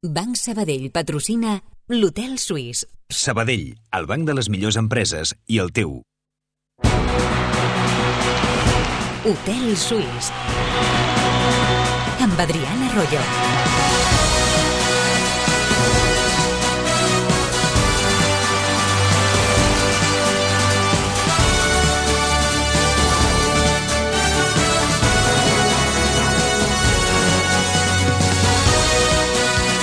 Banc Sabadell patrocina l'Hotel Suís. Sabadell, el banc de les millors empreses i el teu. Hotel Suís. Amb Adriana Arroyo.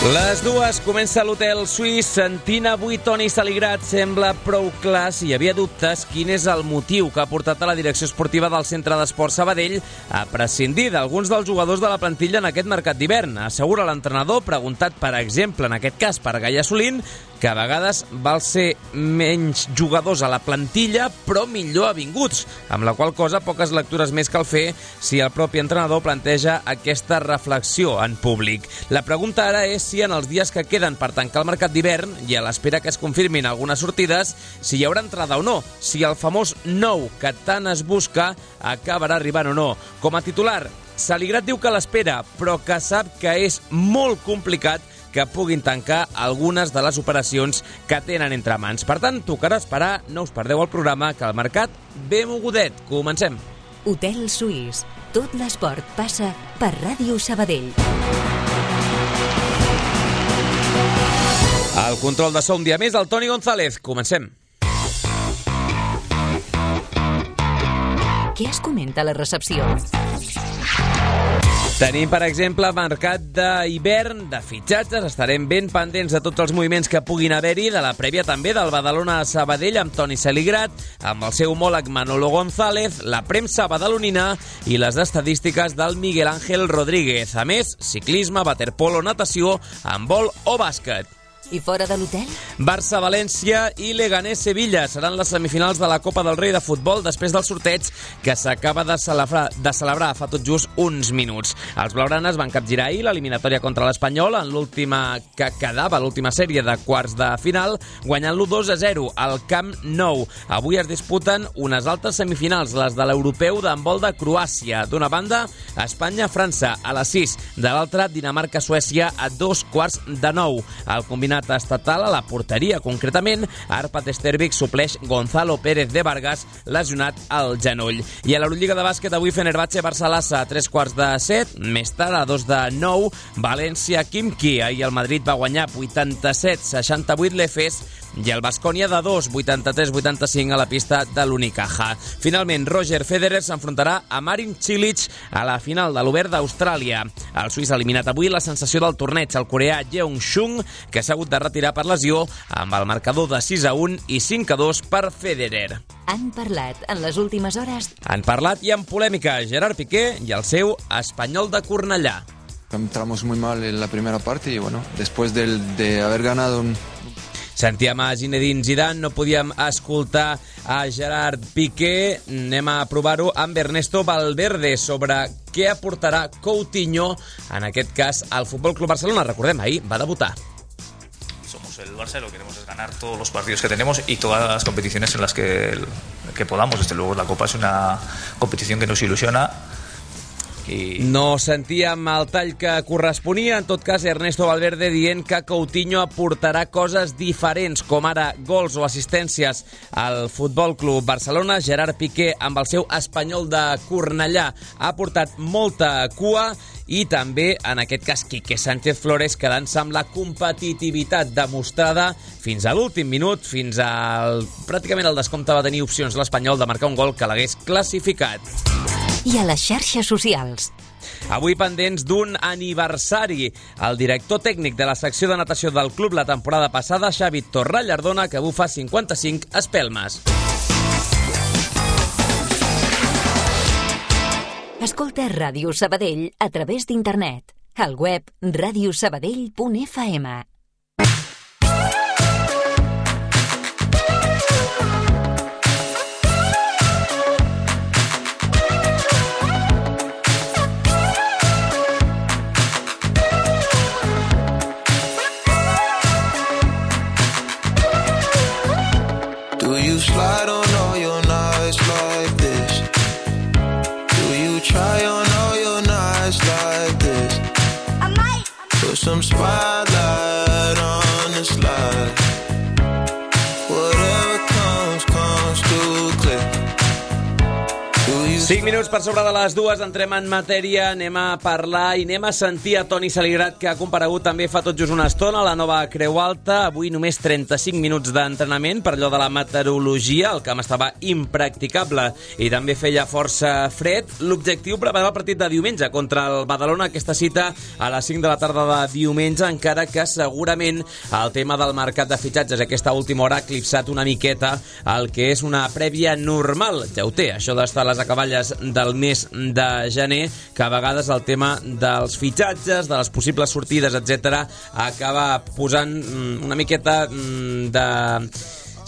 Les dues, comença l'Hotel Suís. Sentint avui Toni Saligrat sembla prou clar, si hi havia dubtes, quin és el motiu que ha portat a la direcció esportiva del Centre d'Esports Sabadell a prescindir d'alguns dels jugadors de la plantilla en aquest mercat d'hivern. Assegura l'entrenador, preguntat per exemple en aquest cas per Gaia Solín, que a vegades val ser menys jugadors a la plantilla però millor avinguts, amb la qual cosa poques lectures més cal fer si el propi entrenador planteja aquesta reflexió en públic. La pregunta ara és si en els dies que queden per tancar el mercat d'hivern i a l'espera que es confirmin algunes sortides, si hi haurà entrada o no, si el famós nou que tant es busca acabarà arribant o no. Com a titular, Saligrat diu que l'espera, però que sap que és molt complicat que puguin tancar algunes de les operacions que tenen entre mans. Per tant, tocarà esperar, no us perdeu el programa, que el mercat ve mogudet. Comencem. Hotel Suís. Tot l'esport passa per Ràdio Sabadell. El control de so un dia més, el Toni González. Comencem. Què es comenta a la recepció? Tenim, per exemple, mercat d'hivern, de fitxatges. Estarem ben pendents de tots els moviments que puguin haver-hi, de la prèvia també del Badalona a Sabadell amb Toni Saligrat, amb el seu homòleg Manolo González, la premsa badalonina i les estadístiques del Miguel Ángel Rodríguez. A més, ciclisme, waterpolo, natació, handbol o bàsquet. I fora de l'hotel? Barça-València i Leganés-Sevilla seran les semifinals de la Copa del Rei de futbol després del sorteig que s'acaba de celebrar fa tot just uns minuts. Els blaugranes van capgirar ahir l'eliminatòria contra l'Espanyol en l'última que quedava, l'última sèrie de quarts de final, guanyant-lo 2-0 al Camp Nou. Avui es disputen unes altres semifinals, les de l'europeu d'handbol de Croàcia. D'una banda, Espanya-França a les 6, de l'altra, Dinamarca-Suècia a 8:45. El combinat estatal a la porteria, concretament, Arpad Stervik supleix Gonzalo Pérez de Vargas, lesionat al genoll. I a l'Eurolliga de bàsquet, avui Fenerbahçe-Barça-Lassa a 3:45, més tard a 2:09, València-Khimki. Ahir el Madrid va guanyar 87-68 l'Efes i el Baskonia de 2, 83-85 a la pista de l'Unicaja. Finalment, Roger Federer s'enfrontarà a Marin Cilic a la final de l'Obert d'Austràlia. El suís ha eliminat avui la sensació del torneig, el coreà Jeong Shung, que s'ha hagut de retirar per lesió amb el marcador de 6-1 i 5-2 per Federer. Han parlat en les últimes hores. Han parlat i en polèmica Gerard Piqué i el seu Espanyol de Cornellà. Entramos muy mal en la primera parte y bueno, después de haber ganado Sentíem a Zinedine Zidane, no podíem escoltar a Gerard Piqué. Anem a provar-ho amb Ernesto Valverde sobre què aportarà Coutinho, en aquest cas, al Futbol Club Barcelona. Recordem, ahir va debutar. Somos el Barça, lo que queremos es ganar todos los partidos que tenemos y todas las competiciones en las que podamos. Desde luego la Copa es una competición que nos ilusiona. No sentíem el tall que corresponia. En tot cas, Ernesto Valverde dient que Coutinho aportarà coses diferents, com ara gols o assistències al Futbol Club Barcelona. Gerard Piqué, amb el seu Espanyol de Cornellà, ha portat molta cua. I també, en aquest cas, Quique Sánchez Flores, quedant-se amb la competitivitat demostrada fins a l'últim minut, fins al pràcticament el descompte. Va tenir opcions l'Espanyol de marcar un gol que l'hagués classificat. I a les xarxes socials. Avui pendents d'un aniversari. El director tècnic de la secció de natació del club la temporada passada, Xavi Torrallardona, que bufa 55 espelmes. Escolta Ràdio Sabadell a través d'internet. Al web radiosabadell.fm. Do you slide on all your nights like this? Do you try on all your nights like this? I might put some spotlight 5 minuts per sobre de les 2, entrem en matèria, anem a parlar i anem a sentir a Toni Saligrat, que ha comparegut també fa tot just una estona a la nova Creu Alta. Avui només 35 minuts d'entrenament per allò de la meteorologia, el camp estava impracticable i també feia força fred. L'objectiu, preparar el partit de diumenge contra el Badalona, aquesta cita a les 5 de la tarda de diumenge, encara que segurament el tema del mercat de fitxatges aquesta última hora ha eclipsat una miqueta el que és una prèvia normal. Ja ho té, això d'estar a les acaballes del mes de gener, que a vegades el tema dels fitxatges, de les possibles sortides, etc., acaba posant una miqueta de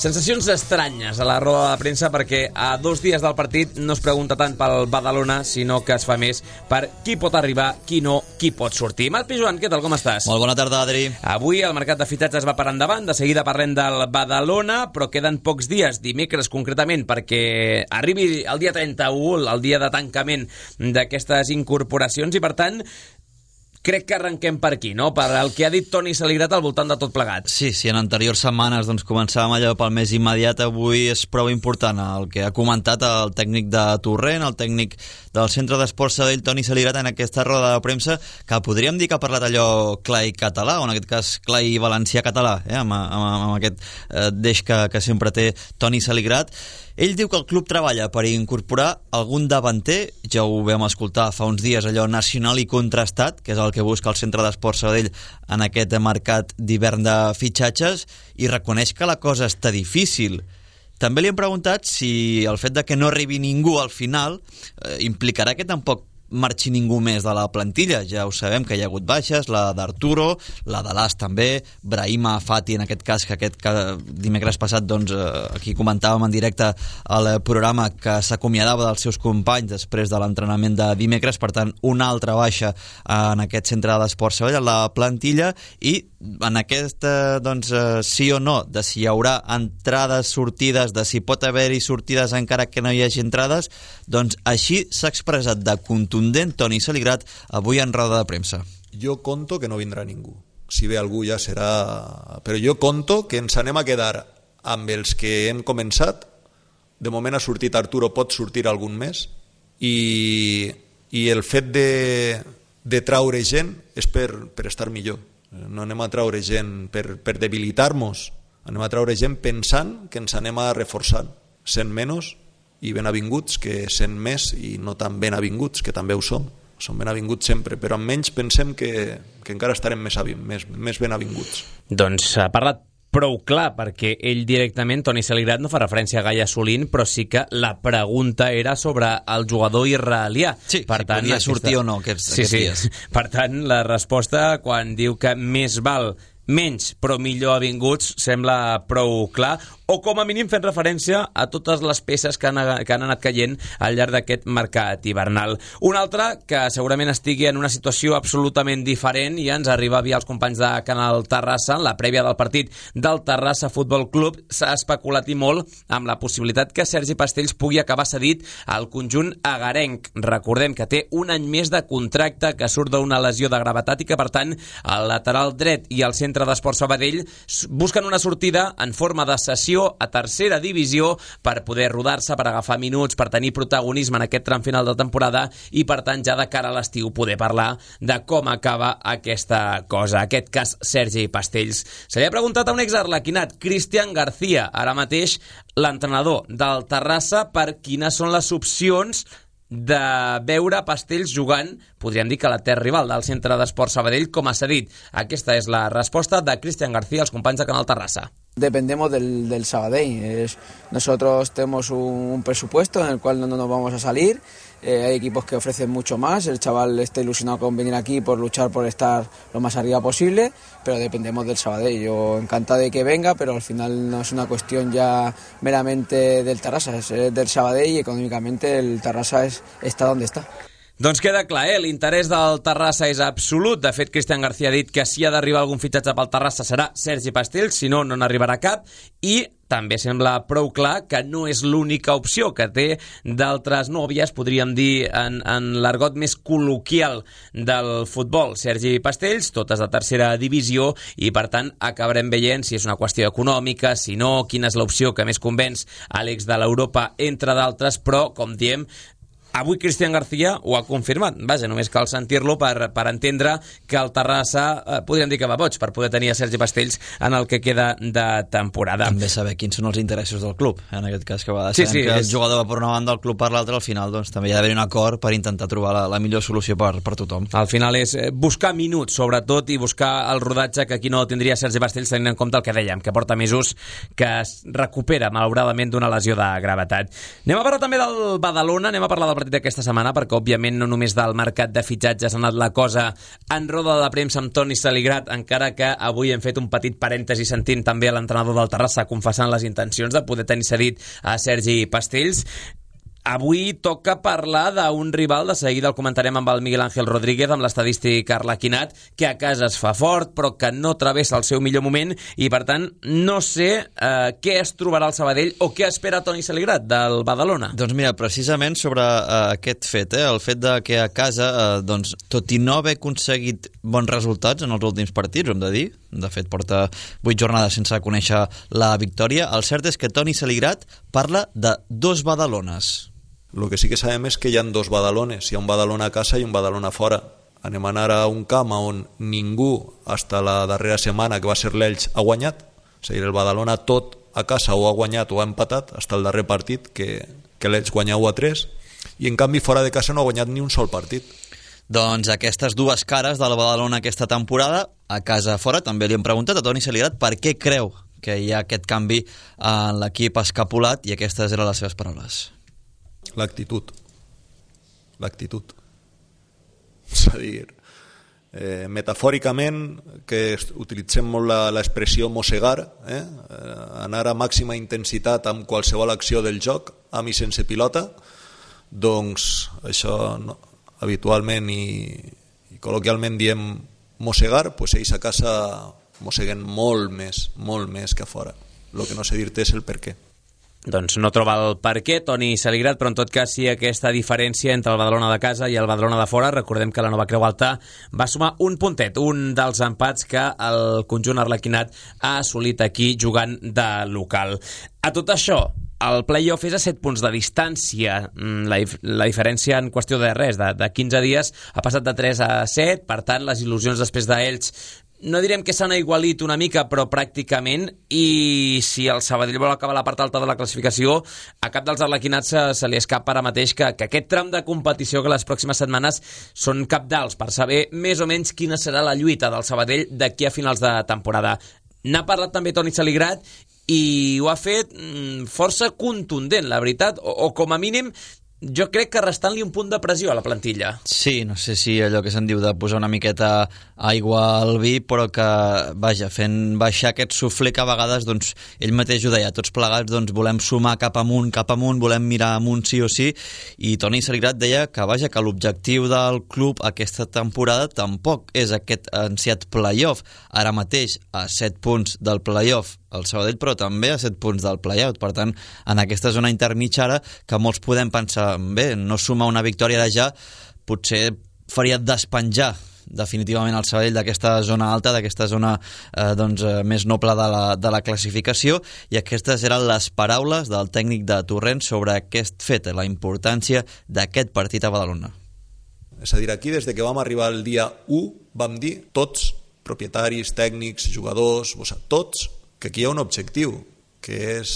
sensacions estranyes a la roda de premsa, perquè a 2 dies del partit no es pregunta tant pel Badalona, sinó que es fa més per qui pot arribar, qui no, qui pot sortir. Marc Pijuan, què tal, com estàs? Molt bona tarda, Adri. Avui el mercat de fitxatges va per endavant, de seguida parlem del Badalona, però queden pocs dies, dimecres concretament, perquè arribi el dia 31, el dia de tancament d'aquestes incorporacions, i per tant crec que arrenquem per aquí, no? Per el que ha dit Toni Saligrat al voltant de tot plegat. Sí, en anteriors setmanes començàvem allò pel més immediat. Avui és prou important el que ha comentat el tècnic de Torrent, el tècnic del Centre d'Esports Sabadell, Toni Saligrat, en aquesta roda de premsa, que podríem dir que ha parlat allò clar i català, o en aquest cas clar i valencià-català, amb aquest deix que sempre té Toni Saligrat. Ell diu que el club treballa per incorporar algun davanter, ja ho vam escoltar fa uns dies, allò nacional i contrastat, que és el que busca el Centre d'Esports Sabadell en aquest mercat d'hivern de fitxatges, i reconeix que la cosa està difícil. També li hem preguntat si el fet de que no arribi ningú al final implicarà que tampoc marxi ningú més de la plantilla. Ja ho sabem que hi ha hagut baixes, la d'Arturo, la de l'As també, Brahima Fati en aquest cas, que dimecres passat aquí comentàvem en directe al programa que s'acomiadava dels seus companys després de l'entrenament de dimecres, per tant una altra baixa en aquest Centre d'Esports Sabadell, la plantilla, i en aquest sí o no, de si hi haurà entrades, sortides, de si pot haver-hi sortides encara que no hi hagi entrades, doncs així s'ha expressat de contundent Toni Saligrat avui en roda de premsa. Jo conto que no vindrà ningú. Si ve algú ja serà... Però jo conto que ens anem a quedar amb els que hem començat. De moment ha sortit Arturo, pot sortir algun més. I el fet de traure gent és per estar millor. No anem a traure gent per debilitar-nos. Anem a traure gent pensant que ens anem a reforçar. Sent menys i ben avinguts, que sent més i no tan ben avinguts, que també ho som ben avinguts sempre, però amb menys pensem que encara estarem més ben avinguts. Doncs ha parlat prou clar, perquè ell directament, Toni Saligrat, no fa referència a Gaia Solín, però sí que la pregunta era sobre el jugador israelià. Sí, per tant, podia sortir o no aquests dies. Per tant, la resposta, quan diu que més val menys però millor avinguts, sembla prou clar, o com a mínim fent referència a totes les peces que han anat caient al llarg d'aquest mercat hivernal. Un altre que segurament estigui en una situació absolutament diferent, i ens arriba via els companys de Canal Terrassa, en la prèvia del partit del Terrassa Futbol Club, s'ha especulat i molt amb la possibilitat que Sergi Pastells pugui acabar cedit al conjunt agarenc. Recordem que té un any més de contracte, que surt d'una lesió de gravetat i que, per tant, el lateral dret i el Centre d'Esports Sabadell busquen una sortida en forma de cessió a tercera divisió per poder rodar-se, per agafar minuts, per tenir protagonisme en aquest tram final de temporada i, per tant, ja de cara a l'estiu poder parlar de com acaba aquesta cosa. Aquest cas, Sergi Pastells. Se li ha preguntat a un exarlequinat, Cristian García, ara mateix l'entrenador del Terrassa, per quines són les opcions de veure Pastells jugant, podríem dir que la terra rival del Centre d'Esports Sabadell, com ha cedit. Aquesta és la resposta de Cristian García als companys de Canal Terrassa. Dependemos del Sabadell. Nosotros tenemos un presupuesto en el cual no nos vamos a salir. Hay equipos que ofrecen mucho más. El chaval está ilusionado con venir aquí por luchar por estar lo más arriba posible, pero dependemos del Sabadell. Yo encantado de que venga, pero al final no es una cuestión ya meramente del Terrassa, es del Sabadell, y econòmicamente el Terrassa está donde está. Doncs queda clar, l'interès del Terrassa és absolut. De fet, Cristian García ha dit que si ha d'arribar algun fitxatge pel Terrassa serà Sergi Pastells, si no, no n'arribarà cap, i també sembla prou clar que no és l'única opció, que té d'altres nòvies, podríem dir, en l'argot més col·loquial del futbol. Sergi Pastells, totes de tercera divisió, i per tant acabarem veient si és una qüestió econòmica, si no, quina és l'opció que més convenç a l'ex de l'Europa, entre d'altres, però, com diem, Avui Cristian García ho ha confirmat. Vaja, només cal sentir-lo per entendre que el Terrassa podríem dir que va boig per poder tenir a Sergi Pastells en el que queda de temporada. També saber quins són els interessos del club, en aquest cas, que va decidir que el jugador va per una banda, el club per l'altra, al final doncs, també hi ha d'haver un acord per intentar trobar la millor solució per tothom. Al final és buscar minuts, sobretot, i buscar el rodatge que aquí no tindria Sergi Pastells, tenint en compte el que dèiem, que porta mesos que es recupera, malauradament, d'una lesió de gravetat. Anem a parlar també del Badalona, anem a parlar del partit d'aquesta setmana, perquè òbviament no només del mercat de fitxatges ha anat la cosa en roda de premsa amb Toni Saligrat, encara que avui hem fet un petit parèntesi sentint també a l'entrenador del Terrassa confessant les intencions de poder tenir cedit a Sergi Pastells. Avui toca parlar d'un rival, de seguida el comentarem amb el Miguel Ángel Rodríguez, amb l'estadístic Arlequinat, que a casa es fa fort, però que no travessa el seu millor moment, i per tant no sé què es trobarà el Sabadell o què espera Toni Saligrat del Badalona. Doncs mira, precisament sobre aquest fet, el fet de que a casa, doncs, tot i no haver aconseguit bons resultats en els últims partits, hem de dir, de fet porta 8 jornades sense conèixer la victòria, el cert és que Toni Saligrat parla de 2 Badalones. Lo que sí que sabem és que hi ha 2 Badalones, hi ha un Badalona a casa i un Badalona fora. Anem a anar a un camp on ningú, fins la darrera setmana, que va ser l'Elx, ha guanyat. És a dir, el Badalona tot a casa o ha guanyat o ha empatat, fins el darrer partit, que l'Elx guanya 1-3, i en canvi fora de casa no ha guanyat ni un sol partit. Doncs aquestes 2 cares de la Badalona aquesta temporada, a casa fora, també li hem preguntat a Toni Saligrat per què creu que hi ha aquest canvi en l'equip escapulat, i aquestes eren les seves paraules. L'actitud. És a dir, metafòricament, que utilitzem molt l'expressió mossegar, anar a màxima intensitat amb qualsevol acció del joc, amb i sense pilota, doncs això habitualment i col·loquialment diem mossegar, doncs ells a casa mosseguen molt més que a fora. El que no sé dir-te és el per què. Doncs no troba el per què, Toni Saligrat, però en tot cas sí aquesta diferència entre el Badalona de casa i el Badalona de fora. Recordem que la Nova Creu Alta va sumar un puntet, un dels empats que el conjunt arlequinat ha assolit aquí jugant de local. A tot això, el play-off és a 7 punts de distància. La diferència en qüestió de res, de 15 dies, ha passat de 3 a 7, per tant, les il·lusions després d'ells no direm que s'han aigualit una mica, però pràcticament, i si el Sabadell vol acabar la part alta de la classificació, a cap dels arlequinats se li escapa ara mateix que aquest tram de competició que les pròximes setmanes són cabdals per saber més o menys quina serà la lluita del Sabadell d'aquí a finals de temporada. N'ha parlat també Toni Saligrat i ho ha fet força contundent, la veritat, o com a mínim jo crec que restant-li un punt de pressió a la plantilla. Sí, no sé si allò que se'n diu de posar una miqueta aigua al vi, però que, vaja, fent baixar aquest suflé que a vegades, doncs, ell mateix ho deia, tots plegats, doncs, volem sumar cap amunt, volem mirar amunt sí o sí, i Toni Saligrat deia que, vaja, que l'objectiu del club aquesta temporada tampoc és aquest ansiat playoff. Ara mateix, a 7 punts del playoff, el Sabadell, però també a 7 punts del play-out. Per tant, en aquesta zona intermitjara que molts podem pensar, bé, no sumar una victòria de ja potser faria despenjar definitivament el Sabadell d'aquesta zona alta, d'aquesta zona més noble de la classificació, i aquestes eren les paraules del tècnic de Torrent sobre aquest fet, la importància d'aquest partit a Badalona. És a dir, aquí des de que vam arribar el dia 1 vam dir tots, propietaris, tècnics, jugadors, tots, que aquí hi ha un objectiu, que és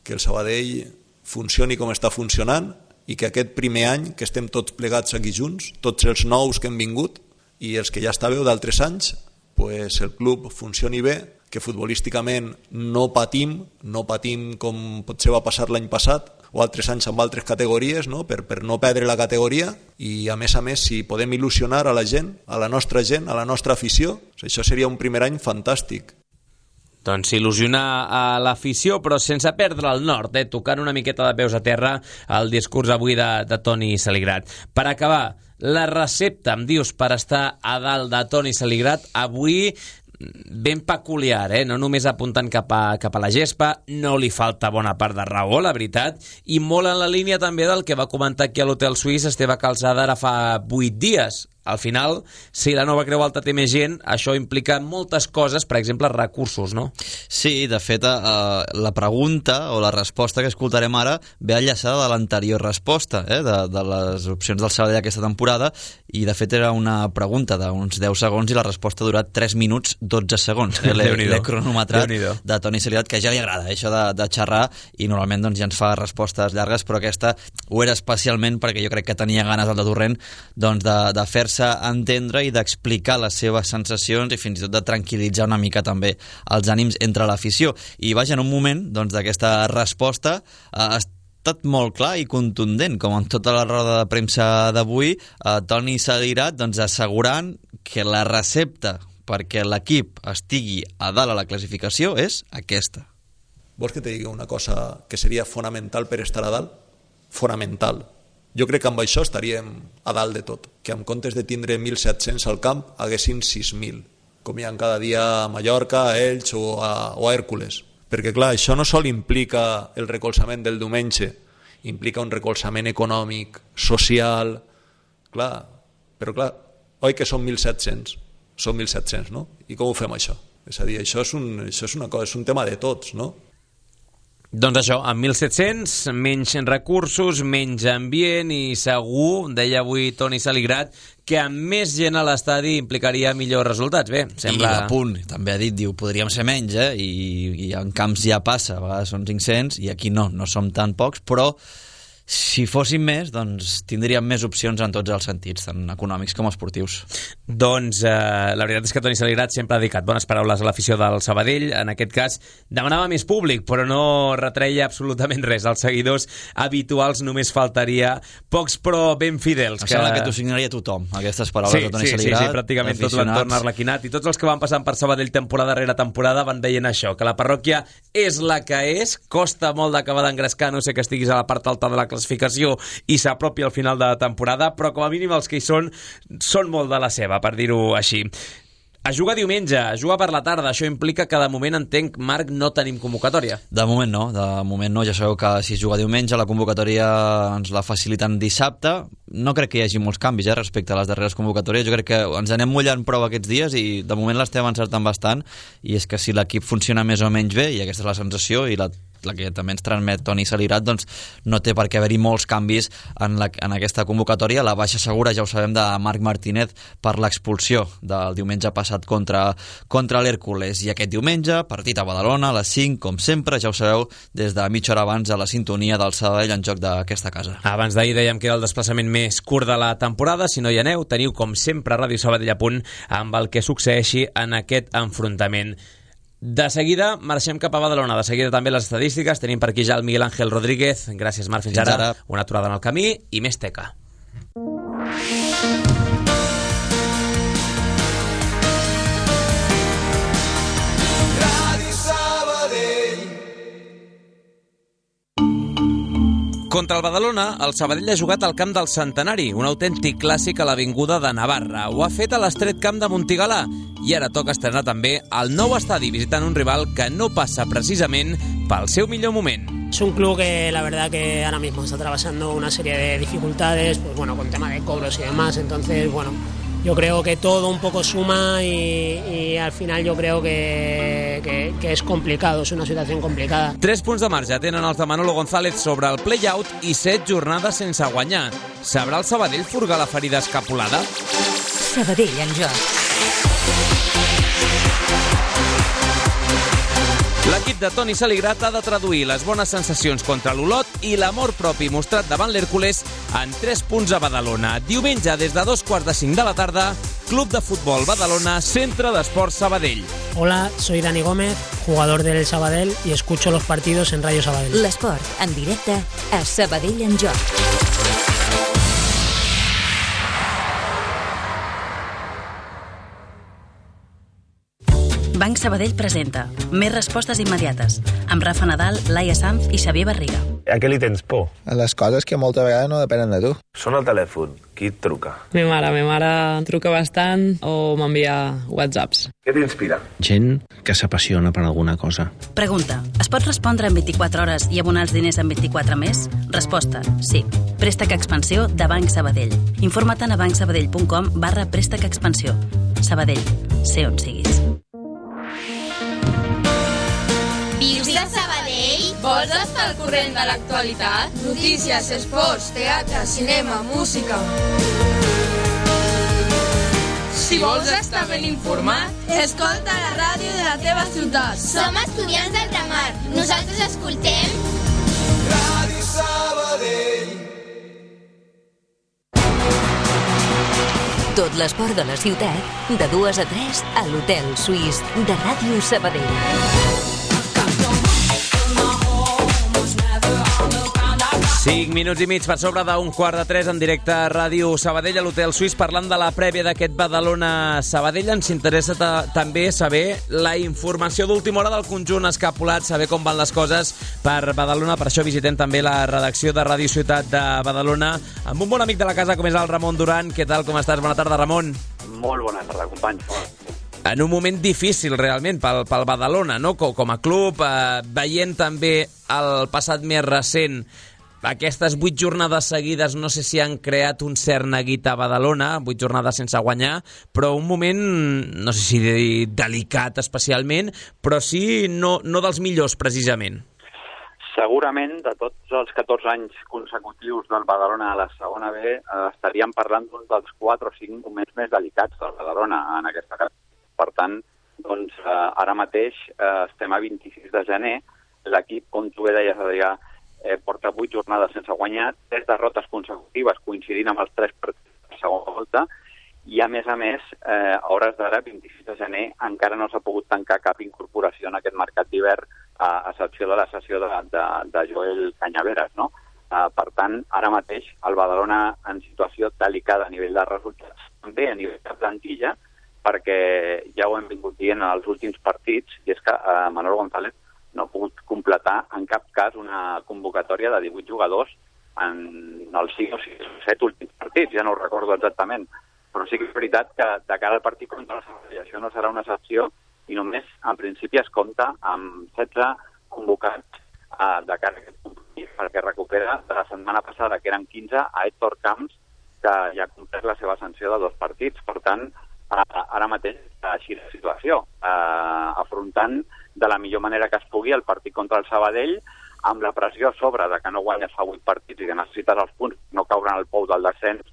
que el Sabadell funcioni com està funcionant i que aquest primer any que estem tots plegats aquí junts, tots els nous que hem vingut i els que ja estàveu d'altres anys, pues el club funcioni bé, que futbolísticament no patim com potser va passar l'any passat o altres anys amb altres categories, no? Per no perdre la categoria, i a més, si podem il·lusionar a la gent, a la nostra afició, això seria un primer any fantàstic. Doncs il·lusionar a l'afició, però sense perdre el nord, tocant una miqueta de peus a terra el discurs avui de Toni Saligrat. Per acabar, la recepta, em dius, per estar a dalt de Toni Saligrat, avui ben peculiar, no només apuntant cap a la gespa, no li falta bona part de raó, la veritat, i molt en la línia també del que va comentar aquí a l'Hotel Suís Esteve Calzada ara fa 8 dies. Al final, si la nova Creu Alta té més gent, això implica moltes coses, per exemple, recursos, no? Sí, de fet, la pregunta o la resposta que escoltarem ara ve enllaçada de l'anterior resposta, de les opcions del Sabadell aquesta temporada, i de fet era una pregunta d'uns 10 segons i la resposta ha durat 3 minuts 12 segons. L'he cronometrat de Toni Salirat, que ja li agrada això de xerrar, i normalment doncs, ja ens fa respostes llargues, però aquesta ho era especialment perquè jo crec que tenia ganes el de Torrent doncs, de fer-se entendre i d'explicar les seves sensacions i fins i tot de tranquil·litzar una mica també els ànims entre l'afició. I vaja, en un moment doncs, d'aquesta resposta ha estat molt clar i contundent, com en tota la roda de premsa d'avui, Toni Salirat doncs, assegurant que la recepta perquè l'equip estigui a dalt a la classificació és aquesta. Vols que te digui una cosa que seria fonamental per estar a dalt? Fonamental. Jo crec que amb això estaríem a dalt de tot, que en comptes de tindre 1.700 al camp haguessin 6.000, com hi ha cada dia a Mallorca, a Elx o a Hèrcules. Perquè clar, això no sol implica el recolzament del diumenge, implica un recolzament econòmic, social, clar, però clar, oi que són 1.700? Són 1.700, no? I com ho fem això? És a dir, això és una cosa, és un tema de tots, no? Doncs això, amb 1.700, menys recursos, menys ambient i segur, deia avui Toni Salirat, que amb més gent a l'estadi implicaria millors resultats. Bé, sembla... I a punt, també ha dit, diu, podríem ser menys, i en camps ja passa, a vegades són 500, i aquí no som tan pocs, però si fóssim més, doncs tindríem més opcions en tots els sentits, tant econòmics com esportius. Doncs la veritat és que Toni Salirat sempre ha dedicat bones paraules a l'afició del Sabadell. En aquest cas demanava més públic, però no retreia absolutament res. Els seguidors habituals només faltaria, pocs però ben fidels. Em sembla que t'ho signaria tothom, aquestes paraules de Toni Salirat. Sí, pràcticament tot l'entorn arlequinat. I tots els que van passant per Sabadell temporada rere temporada van veient això, que la parròquia és la que és, costa molt d'acabar d'engrescar, no sé que estiguis a la part alta de la classificació i s'apropi al final de la temporada, però com a mínim els que hi són molt de la seva, per dir-ho així. A jugar diumenge, a jugar per la tarda, això implica que de moment, entenc, Marc, no tenim convocatòria. De moment no, ja sabeu que si es juga diumenge la convocatòria ens la faciliten dissabte. No crec que hi hagi molts canvis respecte a les darreres convocatòries, jo crec que ens anem mullant prou aquests dies i de moment l'estem encertant bastant, i és que si l'equip funciona més o menys bé, i aquesta és la sensació i la que també ens transmet Toni Salirat, doncs no té per què haver-hi molts canvis en aquesta convocatòria. La baixa segura, ja ho sabem, de Marc Martínez per l'expulsió del diumenge passat contra l'Hèrcules. I aquest diumenge, partit a Badalona, a les 5, com sempre, ja ho sabeu, des de mitja hora abans a la sintonia del Sabadell en joc d'aquesta casa. Abans d'ahir dèiem que era el desplaçament més curt de la temporada. Si no hi aneu, teniu com sempre Ràdio Sabadell a punt amb el que succeeixi en aquest enfrontament. De seguida marxem cap a Badalona, de seguida també les estadístiques. Tenim per aquí ja el Miguel Ángel Rodríguez. Gràcies, Marc, fins ara. Una aturada en el camí i més teca. Contra el Badalona, el Sabadell ha jugat al camp del Centenari, un autèntic clàssic a l'avinguda de Navarra. Ho ha fet a l'estret camp de Montigalà i ara toca estrenar també el nou estadi visitant un rival que no passa precisament pel seu millor moment. Es un club que la verdad que ahora mismo está atravesando una serie de dificultades, pues bueno, con tema de cobros y demás, entonces bueno, yo creo que todo un poco suma y al final yo creo que es complicado, es una situación complicada. 3 punts de marge tenen els de Manolo González sobre el play-out i 7 jornades sense guanyar. Sabrà el Sabadell furgar la ferida escapulada? Sabadell en joc. L'equip de Toni Salirat ha de traduir les bones sensacions contra l'Olot i l'amor propi mostrat davant l'Hèrcules en 3 punts a Badalona. Diumenge, des de 2:45 de la tarda, Club de Futbol Badalona, Centre d'Esports Sabadell. Hola, soy Dani Gómez, jugador del Sabadell y escucho los partidos en Radio Sabadell. L'esport en directe a Sabadell en joc. Banc Sabadell presenta Més respostes immediates amb Rafa Nadal, Laia Sanz i Xavier Barriga. A què li tens por? A les coses que moltes vegades no depenen de tu. Sona el telèfon. Qui et truca? Mi mare em truca bastant o m'envia whatsapps. Què t'inspira? Gent que s'apassiona per alguna cosa. Pregunta. Es pot respondre en 24 hores i abonar els diners en 24 més? Resposta. Sí. Préstec Expansió de Banc Sabadell. Informa't a bancsabadell.com/préstec expansió. Sabadell. Sé on siguis. Vius de Sabadell? Vols estar al corrent de l'actualitat? Notícies, esports, teatre, cinema, música... Si vols estar ben informat, escolta la ràdio de la teva ciutat. Som estudiants del Ramar. Nosaltres escoltem... Ràdio Sabadell. Tot l'esport de la ciutat, de 2 a 3 a l'Hotel Suís de Ràdio Sabadell. 5 minuts i mig per sobre d'un 2:45 en directe a Ràdio Sabadell a l'Hotel Suís parlant de la prèvia d'aquest Badalona-Sabadell. Ens interessa també saber la informació d'última hora del conjunt escapulat, saber com van les coses per Badalona. Per això visitem també la redacció de Ràdio Ciutat de Badalona amb un bon amic de la casa com és el Ramon Duran. Què tal, com estàs? Bona tarda, Ramon. Molt bona tarda, companys. En un moment difícil realment pel Badalona, no? Com a club, veient també el passat més recent aquestes 8 jornades seguides, no sé si han creat un cert neguit a Badalona, 8 jornades sense guanyar, però un moment, no sé si delicat especialment, però sí no dels millors precisament. Segurament, de tots els 14 anys consecutius del Badalona a la segona B, estaríem parlant d'un dels 4 o 5 moments més delicats del Badalona en aquesta casa. Per tant, doncs, ara mateix estem a 26 de gener, l'equip, com tu bé deies, Adrià, porta 8 jornades sense guanyar, 3 derrotes consecutives coincidint amb els 3 partits de segona volta, i a més, a hores d'ara, 26 de gener, encara no s'ha pogut tancar cap incorporació en aquest mercat d'hivern, a excepció de la sessió de Joel Canyaveras, no? Per tant, ara mateix, el Badalona en situació delicada a nivell de resultats, també a nivell de plantilla, perquè ja ho hem vingut dient en els últims partits, i és que Manolo González no ha pogut completar en cap cas una convocatòria de 18 jugadors en els 5 o 7 últims partits, ja no ho recordo exactament, però sí que és veritat que de cara al partit contra el Sabadell això no serà una excepció i només en principi es compta amb 16 convocats de cara a aquest compromís, perquè recupera de la setmana passada, que eren 15, a Héctor Camps, que ja ha complert la seva sanció de 2 partits. Per tant, ara mateix així la situació, afrontant de la millor manera que es pugui el partit contra el Sabadell, amb la pressió a sobre de que no guanyes fa 8 partits i que necessites els punts, no caure en el pou del descens,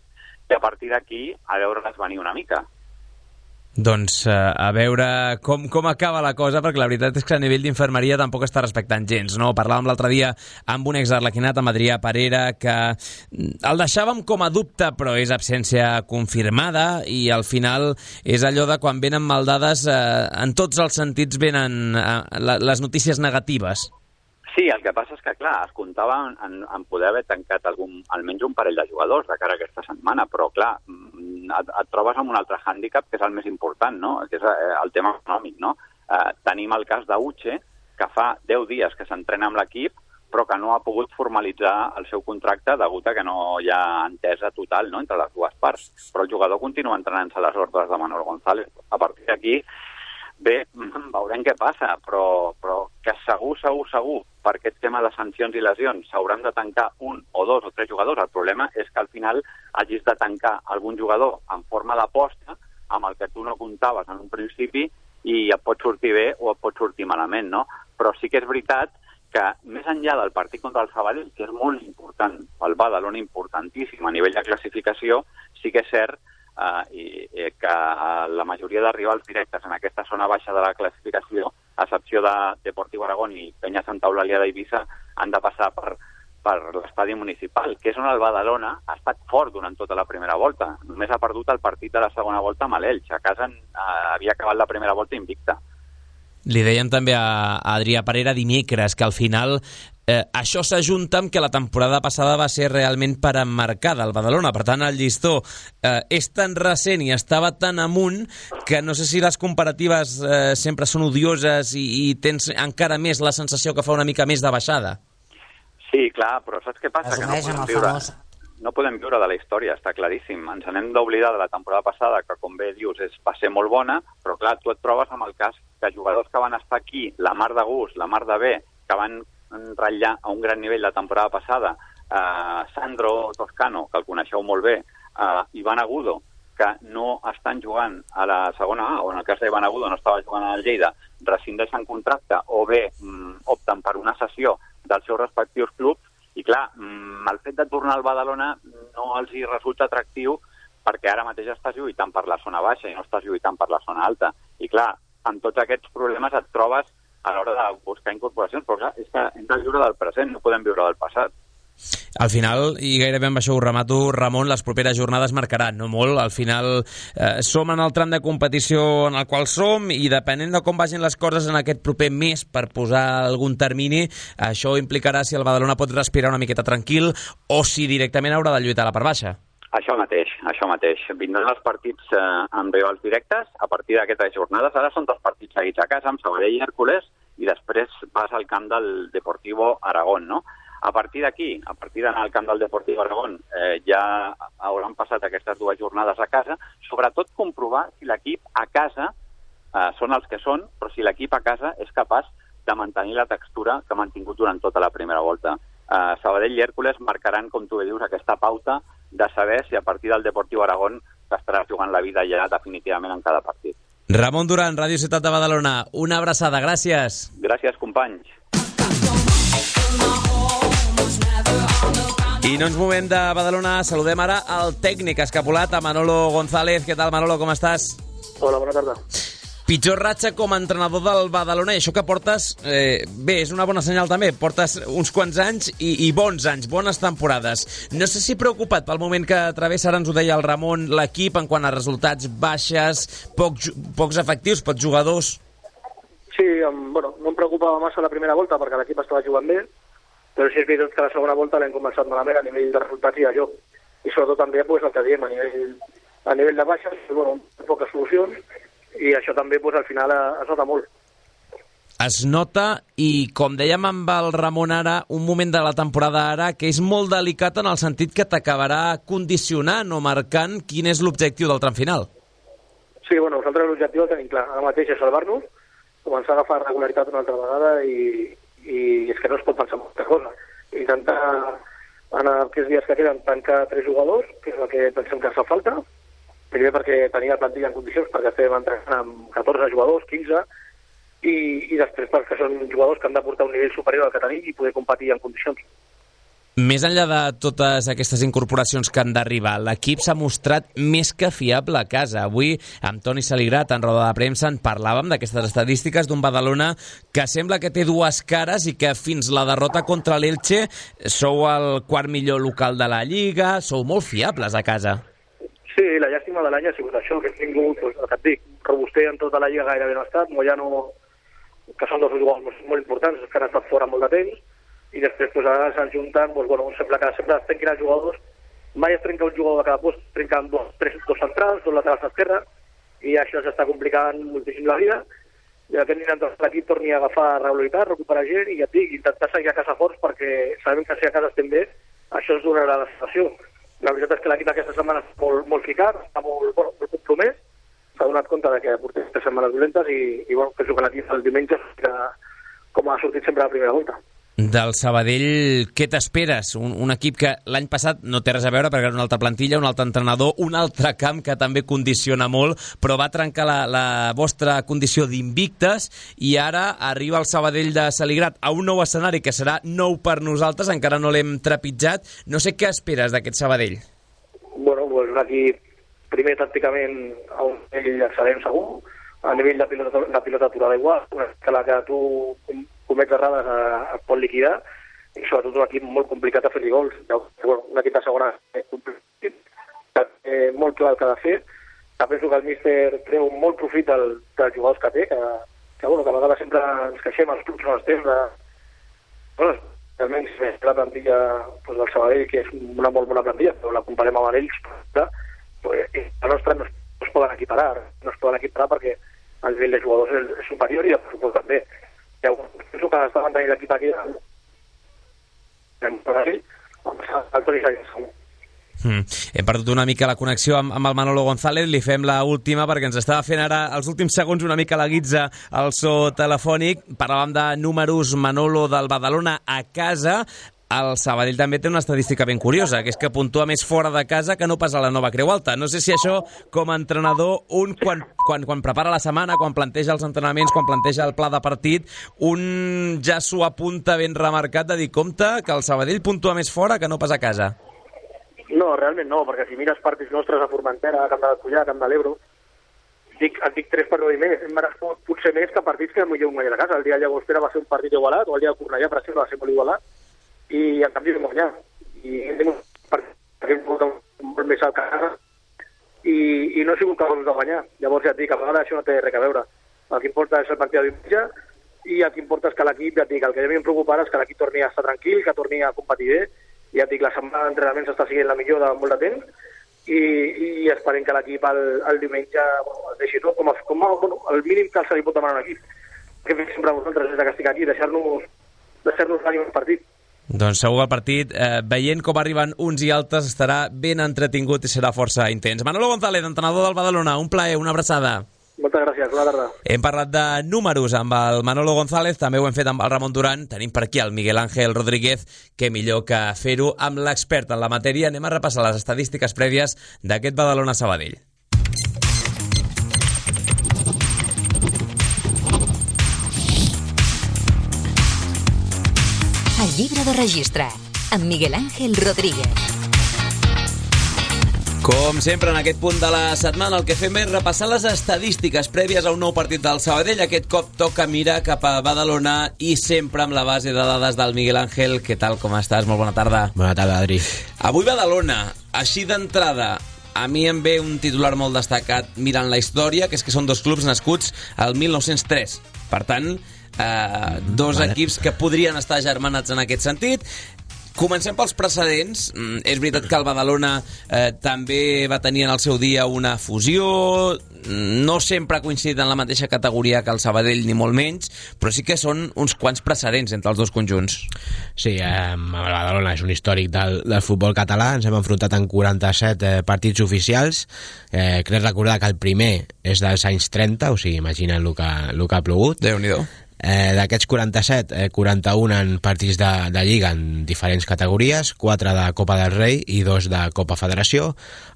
i a partir d'aquí a veure-les venir una mica. Doncs a veure com acaba la cosa, perquè la veritat és que a nivell d'infermeria tampoc està respectant gens, no? Parlàvem l'altre dia amb un exarlequinat, amb Adrià Parera, que el deixàvem com a dubte, però és absència confirmada, i al final és allò de quan venen maldades, en tots els sentits venen les notícies negatives. Sí, el que passa és que, clar, es comptava en poder haver tancat almenys un parell de jugadors de cara a aquesta setmana, però, clar, et trobes amb un altre hàndicap, que és el més important, no? Que és el tema econòmic, no? Tenim el cas d'Uche, que fa 10 dies que s'entrena amb l'equip, però que no ha pogut formalitzar el seu contracte degut a que no hi ha entesa total, no?, entre les dues parts. Però el jugador continua entrenant-se a les ordres de Manolo González. A partir d'aquí, bé, veurem què passa, però que segur, per aquest tema de sancions i lesions s'hauran de tancar 1 o 2 o 3 jugadors. El problema és que al final hagis de tancar algun jugador en forma d'aposta amb el que tu no comptaves en un principi i et pot sortir bé o et pot sortir malament, no? Però sí que és veritat que més enllà del partit contra el Sabadell, que és molt important, el Badalona importantíssim a nivell de classificació, sí que és cert que la majoria de rivals directes en aquesta zona baixa de la classificació, a excepció de Deportiu Aragón i Penya Santa Eulàlia d'Eivissa, han de passar per l'estadi municipal, que és on el Badalona ha estat fort durant tota la primera volta. Només ha perdut el partit de la segona volta amb l'Elx. A casa havia acabat la primera volta invicta. Li deien també a Adrià Parera dimecres que al final això s'ajunta amb que la temporada passada va ser realment per emmarcada al Badalona. Per tant, el llistó és tan recent i estava tan amunt que no sé si les comparatives sempre són odioses i tens encara més la sensació que fa una mica més de baixada. Sí, clar, però saps què passa? Que Resumeix amb el famós. no podem viure de la història, està claríssim. Ens n'hem d'oblidar de la temporada passada, que com bé dius va ser molt bona, però clar, tu et trobes amb el cas de jugadors que van estar aquí, la mar de gust, la mar de bé, que van ratllar a un gran nivell la temporada passada, Sandro Toscano, que el coneixeu molt bé, Iván Agudo, que no estan jugant a la segona A, o en el cas d'Iván Agudo no estava jugant al Lleida, rescindeixen contracte o bé opten per una cessió dels seus respectius clubs, i clar, el fet de tornar al Badalona no els hi resulta atractiu perquè ara mateix estàs lluitant per la zona baixa i no estàs lluitant per la zona alta. I clar, amb tots aquests problemes et trobes a l'hora de buscar incorporacions, però clar, és que hem de viure del present, no podem viure del passat. Al final, i gairebé amb això ho remato, Ramon, les properes jornades marcaran, no molt. Al final som en el tram de competició en el qual som i depenent de com vagin les coses en aquest proper mes per posar algun termini, això implicarà si el Badalona pot respirar una miqueta tranquil o si directament haurà de lluitar a la part baixa. Això mateix. Vindran els partits amb rivals directes a partir d'aquestes jornades. Ara són 2 partits seguits a casa, amb Sabadell i Hèrcules, i després vas al camp del Deportivo Aragón, no? A partir d'aquí, a partir d'anar al camp del Deportivo Aragón, ja hauran passat aquestes 2 jornades a casa, sobretot comprovar si l'equip a casa són els que són, però si l'equip a casa és capaç de mantenir la textura que ha mantingut durant tota la primera volta. Sabadell i Hèrcules marcaran, com tu bé dius, aquesta pauta de saber si a partir del Deportivo Aragón t'estaràs jugant la vida ja definitivament en cada partit. Ramon Duran, Ràdio Ciutat de Badalona, una abraçada, gràcies. Gràcies, companys. I no ens movem de Badalona, saludem ara al tècnic escapulat, a Manolo González. Què tal, Manolo, com estàs? Hola, bona tarda. Pitjor ratxa com a entrenador del Badalona, i això que portes, bé, és una bona senyal també, portes uns quants anys i bons anys, bones temporades. No sé si preocupat pel moment que travessa, ara ens ho deia el Ramon, l'equip en quant a resultats baixes, pocs efectius, pocs jugadors. Sí, bueno, no em preocupava massa la primera volta perquè l'equip estava jugant bé, però sí és veritat que la segona volta l'hem començat malament a nivell de resultats i de joc. I sobretot també pues, el que diem, a nivell de baixes, bueno, poques solucions, i això també pues, al final es nota molt. Es nota, i com dèiem amb el Ramon ara, un moment de la temporada ara que és molt delicat en el sentit que t'acabarà condicionant o marcant quin és l'objectiu del tram final. Sí, bueno, nosaltres l'objectiu el tenim clar. Ara mateix és salvar-nos, començar a agafar regularitat una altra vegada i és que no es pot pensar en molta cosa. Intentar, en aquests dies que queden, tancar 3 jugadors, que és el que pensem que fa falta. Primer perquè tenia la plantilla en condicions, perquè estem entrenant amb 14 jugadors, 15, i després perquè són jugadors que han de portar un nivell superior al que tenim i poder competir en condicions. Més enllà de totes aquestes incorporacions que han d'arribar, l'equip s'ha mostrat més que fiable a casa. Avui, amb Toni Saligrat, en roda de premsa, en parlàvem d'aquestes estadístiques d'un Badalona que sembla que té 2 cares i que fins la derrota contra l'Elche sou el 4º millor local de la Lliga, sou molt fiables a casa. Sí, la llàstima de l'any ha sigut això, que hem tingut, el que et dic, robuster en tota la Lliga gairebé no ha estat, Moyano, que són 2 jugadors molt importants, que han estat fora molt de temps, i després pues, ara se'n junten, pues, bueno, sembla que sempre es trenquin els jugadors, mai es trenca un jugador de cada post, trenquen 2 centrals, 2 laterals d'esquerra, i això s'està complicant moltíssim la vida, i aquest nivell de l'equip torni a agafar regularitat, recuperar gent, i ja et dic, intentar seguir a casa forts, perquè sabem que si a casa estem bé, això ens donarà la sensació. La veritat és que l'equip aquesta setmana està molt ficat, està molt compromès, s'ha donat compte que portem 3 setmanes dolentes i bueno, penso que l'equip el diumenge com ha sortit sempre a la primera volta. Del Sabadell, què t'esperes? Un equip que l'any passat no té res a veure perquè era una altra plantilla, un altre entrenador, un altre camp que també condiciona molt, però va trencar la vostra condició d'invictes i ara arriba el Sabadell de Saligrat a un nou escenari que serà nou per nosaltres, encara no l'hem trepitjat. No sé què esperes d'aquest Sabadell. Bueno, pues un equip primer tàcticament a un nivell excel·lent segur, a nivell de pilota aturada igual, que la que tu comets errades et pot liquidar, i sobretot un equip molt complicat a fer-hi gols. Bueno, un equip de segona molt clar el que ha de fer. Penso que el míster treu molt profit dels jugadors que té, que a vegades sempre ens queixem els clubs no els temps. Bueno, realment la plantilla pues, del Sabadell, que és una molt bona plantilla, però la comparem amb ells, la nostra no es poden equiparar, perquè el nivell de jugadors és superior i el pressupost també. Penso que està mantenint l'equip aquí. el Toni segueix segur. Hem perdut una mica la connexió amb el Manolo González, li fem la última perquè ens estava fent ara els últims segons una mica la guitza al so telefònic. Parlàvem de números, Manolo, del Badalona a casa. El Sabadell també té una estadística ben curiosa, que és que puntua més fora de casa que no pas a la Nova Creu Alta. No sé si això, com a entrenador, quan prepara la setmana, quan planteja els entrenaments, quan planteja el pla de partit, un ja s'ho apunta ben remarcat de dir, compte, que el Sabadell puntua més fora que no pas a casa. No, realment no, perquè si mires partits nostres a Formentera, a Camp de Cullà, a Camp de l'Ebro, et dic 3 per 9 i més, hem merescut potser més que partits que millor guanyar a casa. El dia de Llagostera va ser un partit igualat, o el dia de Cornellà, per exemple, va ser molt igualat, i en canvi vam guanyar. I hem tingut un partit que hem pogut molt més al casa, i no he sigut capaços de guanyar. Llavors ja et dic, a vegades això no té res a veure. El que importa és el partit de diumenge, i el que importa és que l'equip, ja et dic, el que a mi em preocupa és que l'equip torni a estar tranquil, que torni a competir bé. Ja et dic, la setmana d'entrenaments està siguent la millor de molt de temps, i esperem que l'equip el diumenge es deixi tot com el mínim que se li pot demanar a un equip. Que fem sempre vosaltres des que estic aquí, deixar-nos l'ànim al partit. Doncs segur que el partit, veient com arriben uns i altres, estarà ben entretingut i serà força intens. Manolo González, entrenador del Badalona, un plaer, una abraçada. Moltes gràcies, bona tarda. Hem parlat de números amb el Manolo González, també ho hem fet amb el Ramon Duran, tenim per aquí el Miguel Ángel Rodríguez, que millor que fer-ho amb l'expert en la matèria. Anem a repassar les estadístiques prèvies d'aquest Badalona-Sabadell. El llibre de registre, amb Miguel Ángel Rodríguez. Com sempre, en aquest punt de la setmana, el que fem és repassar les estadístiques prèvies a un nou partit del Sabadell. Aquest cop toca mirar cap a Badalona i sempre amb la base de dades del Miguel Ángel. Què tal, com estàs? Molt bona tarda. Bona tarda, Adri. Avui Badalona, així d'entrada, a mi em ve un titular molt destacat mirant la història, que és que són dos clubs nascuts al 1903. Per tant, dos equips que podrien estar germanats en aquest sentit. Comencem pels precedents. És veritat que el Badalona també va tenir en el seu dia una fusió, no sempre ha coincidit en la mateixa categoria que el Sabadell, ni molt menys, però sí que són uns quants precedents entre els dos conjunts. Sí, el Badalona és un històric del futbol català. Ens hem enfrontat en 47 partits oficials. Crec recordar que el primer és dels anys 30, o sigui, imagina't el que ha plogut. Déu-n'hi-do. D'aquests 47, 41 en partits de Lliga en diferents categories, 4 de Copa del Rei i 2 de Copa Federació.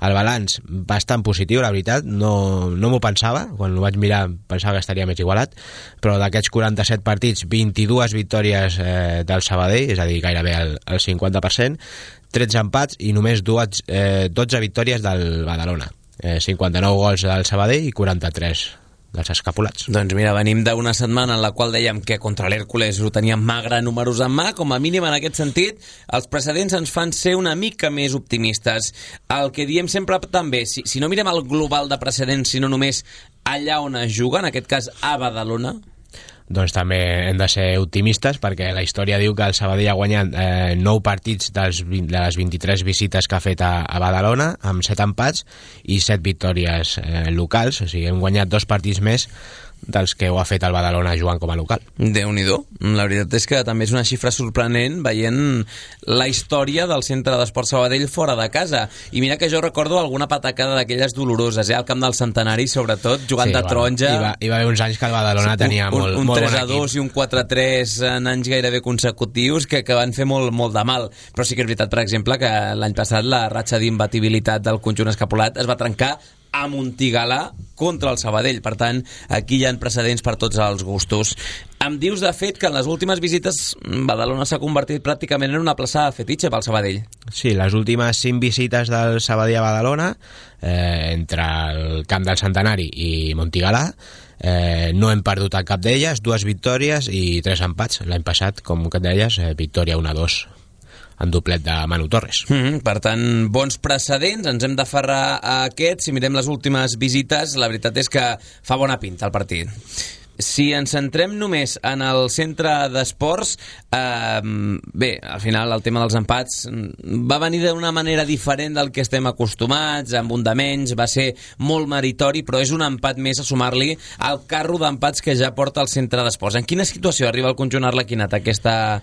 El balanç bastant positiu, la veritat, no m'ho pensava, quan ho vaig mirar pensava que estaria més igualat, però d'aquests 47 partits, 22 victòries del Sabadell, és a dir, gairebé el 50%, 13 empats i només 12 victòries del Badalona. 59 gols del Sabadell i 43 dels escapulats. Doncs mira, venim d'una setmana en la qual dèiem que contra l'Hèrcules ho teníem magre números en mà. Com a mínim, en aquest sentit, els precedents ens fan ser una mica més optimistes. El que diem sempre també, si no mirem el global de precedents, sinó només allà on es juga, en aquest cas a Badalona, doncs també hem de ser optimistes, perquè la història diu que el Sabadell ha guanyat 9 partits de les 23 visites que ha fet a Badalona, amb 7 empats i 7 victòries locals, o sigui, hem guanyat 2 partits més dels que ho ha fet el Badalona jugant com a local. Déu-n'hi-do. La veritat és que també és una xifra sorprenent veient la història del Centre d'Esport Sabadell fora de casa. I mira que jo recordo alguna patacada d'aquelles doloroses, al Camp del Centenari, sobretot, jugant de taronja. Hi va haver uns anys que el Badalona tenia molt bon equip. Un 3-2 i un 4-3 en anys gairebé consecutius que van fer molt de mal. Però sí que és veritat, per exemple, que l'any passat la ratxa d'imbatibilitat del conjunt escapulat es va trencar a Montigalà contra el Sabadell. Per tant, aquí hi ha precedents per tots els gustos. Em dius, de fet, que en les últimes visites Badalona s'ha convertit pràcticament en una plaça fetitxe pel Sabadell. Sí, les últimes 5 visites del Sabadell a Badalona, entre el Camp del Centenari i Montigalà, no hem perdut cap d'elles, 2 victòries i 3 empats. L'any passat, com que et deies, victòria 1-2 en doblet de Manu Torres. Per tant, bons precedents, ens hem d'aferrar a aquests. Si mirem les últimes visites, la veritat és que fa bona pinta el partit. si ens centrem només en el centre d'esports, bé, al final el tema dels empats va venir d'una manera diferent del que estem acostumats, amb un de menys, va ser molt meritori, però és un empat més a sumar-li al carro d'empats que ja porta el centre d'esports. En quina situació arriba el conjunt arlequinat aquesta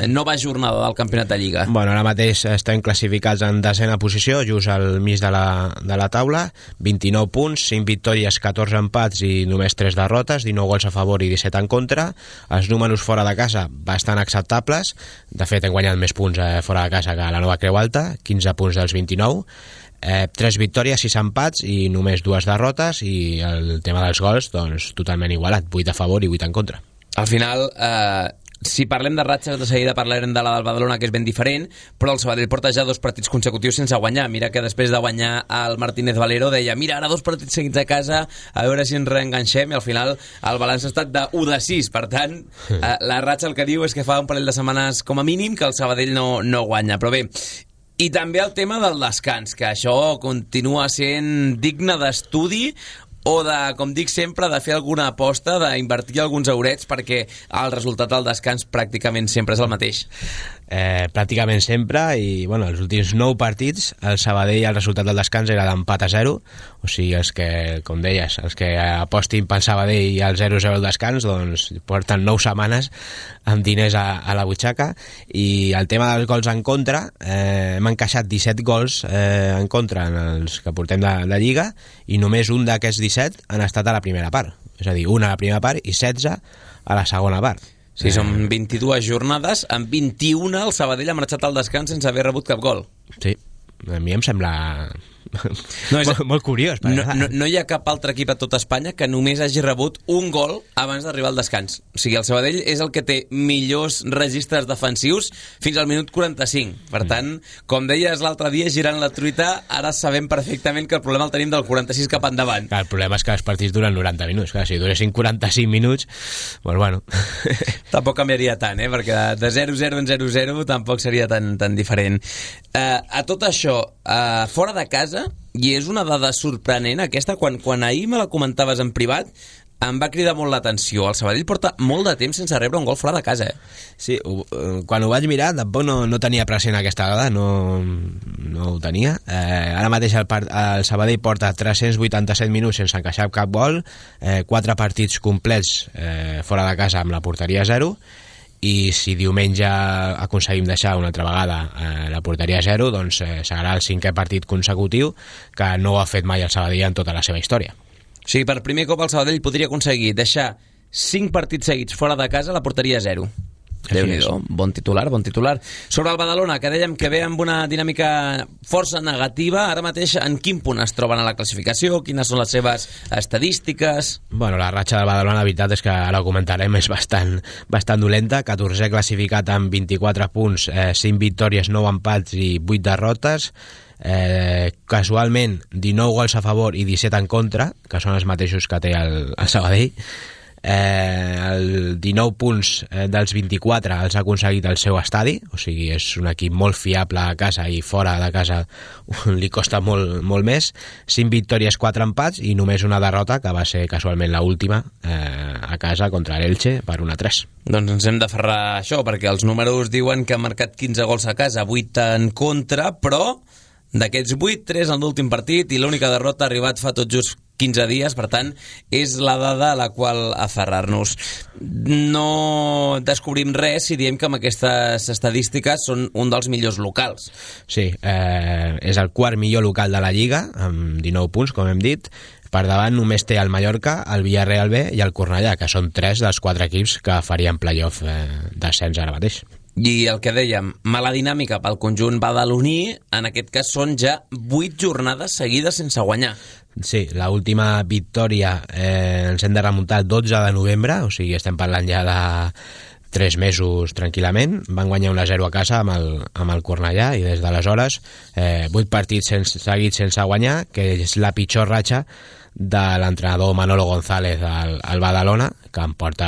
nova jornada del campionat de Lliga? Bueno, ara mateix estem classificats en desena posició, just al mig de la taula, 29 punts, 5 victòries, 14 empats i només 3 derrotes, 19 gols a favor i 17 en contra. Els números fora de casa bastant acceptables, de fet hem guanyat més punts fora de casa que a la Nova Creu Alta, 15 punts dels 29, 3 victòries, 6 empats i només 2 derrotes, i el tema dels gols doncs totalment igualat, 8 a favor i 8 en contra. Al final, si parlem de ratxes, de seguida parlarem de la del Badalona, que és ben diferent, però el Sabadell porta ja 2 partits consecutius sense guanyar. Mira que després de guanyar el Martínez Valero deia, mira, ara 2 partits seguits a casa, a veure si ens reenganxem, i al final el balanç ha estat de 1 de 6. Per tant, la ratxa el que diu és que fa un parell de setmanes com a mínim que el Sabadell no guanya. Però bé, i també el tema del descans, que això continua sent digne d'estudi, o de, com dic sempre, de fer alguna aposta, d'invertir alguns eurets, perquè el resultat del descans pràcticament sempre és el mateix. Pràcticament sempre, i bueno, els últims 9 partits el Sabadell, el resultat del descans era d'empat a 0, o sigui, els que, com deies, els que apostin pel Sabadell i el 0-0 al descans, doncs porten 9 setmanes amb diners a la butxaca. I el tema dels gols en contra, hem encaixat 17 gols en contra en els que portem de Lliga, i només un d'aquests 17 han estat a la primera part, és a dir, una a la primera part i 16 a la segona part. Sí, són 22 jornades, en 21 el Sabadell ha marxat al descans sense haver rebut cap gol. Sí, a mi em sembla molt curiós. No hi ha cap altre equip a tot Espanya que només hagi rebut un gol abans d'arribar al descans. O sigui, el Sabadell és el que té millors registres defensius fins al minut 45. Per tant, com deies l'altre dia, girant la truita, ara sabem perfectament que el problema el tenim del 46 cap endavant. Clar, el problema és que els partits duren 90 minuts. Clar, si duressin 45 minuts, doncs bueno. Tampoc canviaria tant, perquè de 0-0 en 0-0 tampoc seria tan diferent. A tot això, fora de casa, i és una dada sorprenent aquesta, quan ahir me la comentaves en privat, em va cridar molt l'atenció. El Sabadell porta molt de temps sense rebre un gol fora de casa. Sí, quan ho vaig mirar tampoc no tenia present aquesta dada, no ho tenia. Ara mateix el Sabadell porta 387 minuts sense encaixar cap gol, 4 partits complets fora de casa amb la porteria 0, i si diumenge aconseguim deixar una altra vegada la porteria a 0, doncs serà el 5è partit consecutiu que no ho ha fet mai el Sabadell en tota la seva història. O sigui, per primer cop el Sabadell podria aconseguir deixar 5 partits seguits fora de casa a la porteria a 0. Déu-n'hi-do, bon titular. Sobre el Badalona, que dèiem que ve amb una dinàmica força negativa, ara mateix en quin punt es troben a la classificació? Quines són les seves estadístiques? Bueno, la ratxa del Badalona, la veritat és que ara ho comentarem, és bastant dolenta. 14è classificat amb 24 punts, 5 victòries, 9 empats i 8 derrotes. Casualment 19 gols a favor i 17 en contra, que són els mateixos que té el Sabadell. El 19 punts dels 24 els ha aconseguit el seu estadi, o sigui, és un equip molt fiable a casa, i fora de casa li costa molt més. 5 victòries, 4 empats i només una derrota, que va ser casualment l'última a casa contra l'Elche per 1-3. Doncs ens hem d'aferrar a això, perquè els números diuen que ha marcat 15 gols a casa, 8 en contra, però d'aquests 8, 3 en l'últim partit, i l'única derrota ha arribat fa tot just 15 dies, per tant, és la dada a la qual aferrar-nos. No descobrim res si diem que amb aquestes estadístiques són un dels millors locals. Sí, és el quart millor local de la Lliga, amb 19 punts, com hem dit. Per davant només té el Mallorca, el Villarreal B i el Cornellà, que són 3 dels 4 equips que farien playoff d'ascens ara mateix. I el que dèiem, mala dinàmica pel conjunt badaloní, en aquest cas són ja 8 jornades seguides sense guanyar. Sí, l'última victòria ens hem de remuntar el 12 de novembre, o sigui, estem parlant ja de 3 mesos tranquil·lament. Van guanyar 1-0 a casa amb el Cornellà, i des d'aleshores 8 partits seguits sense guanyar, que és la pitjor ratxa de l'entrenador Manolo González al Badalona, que em porta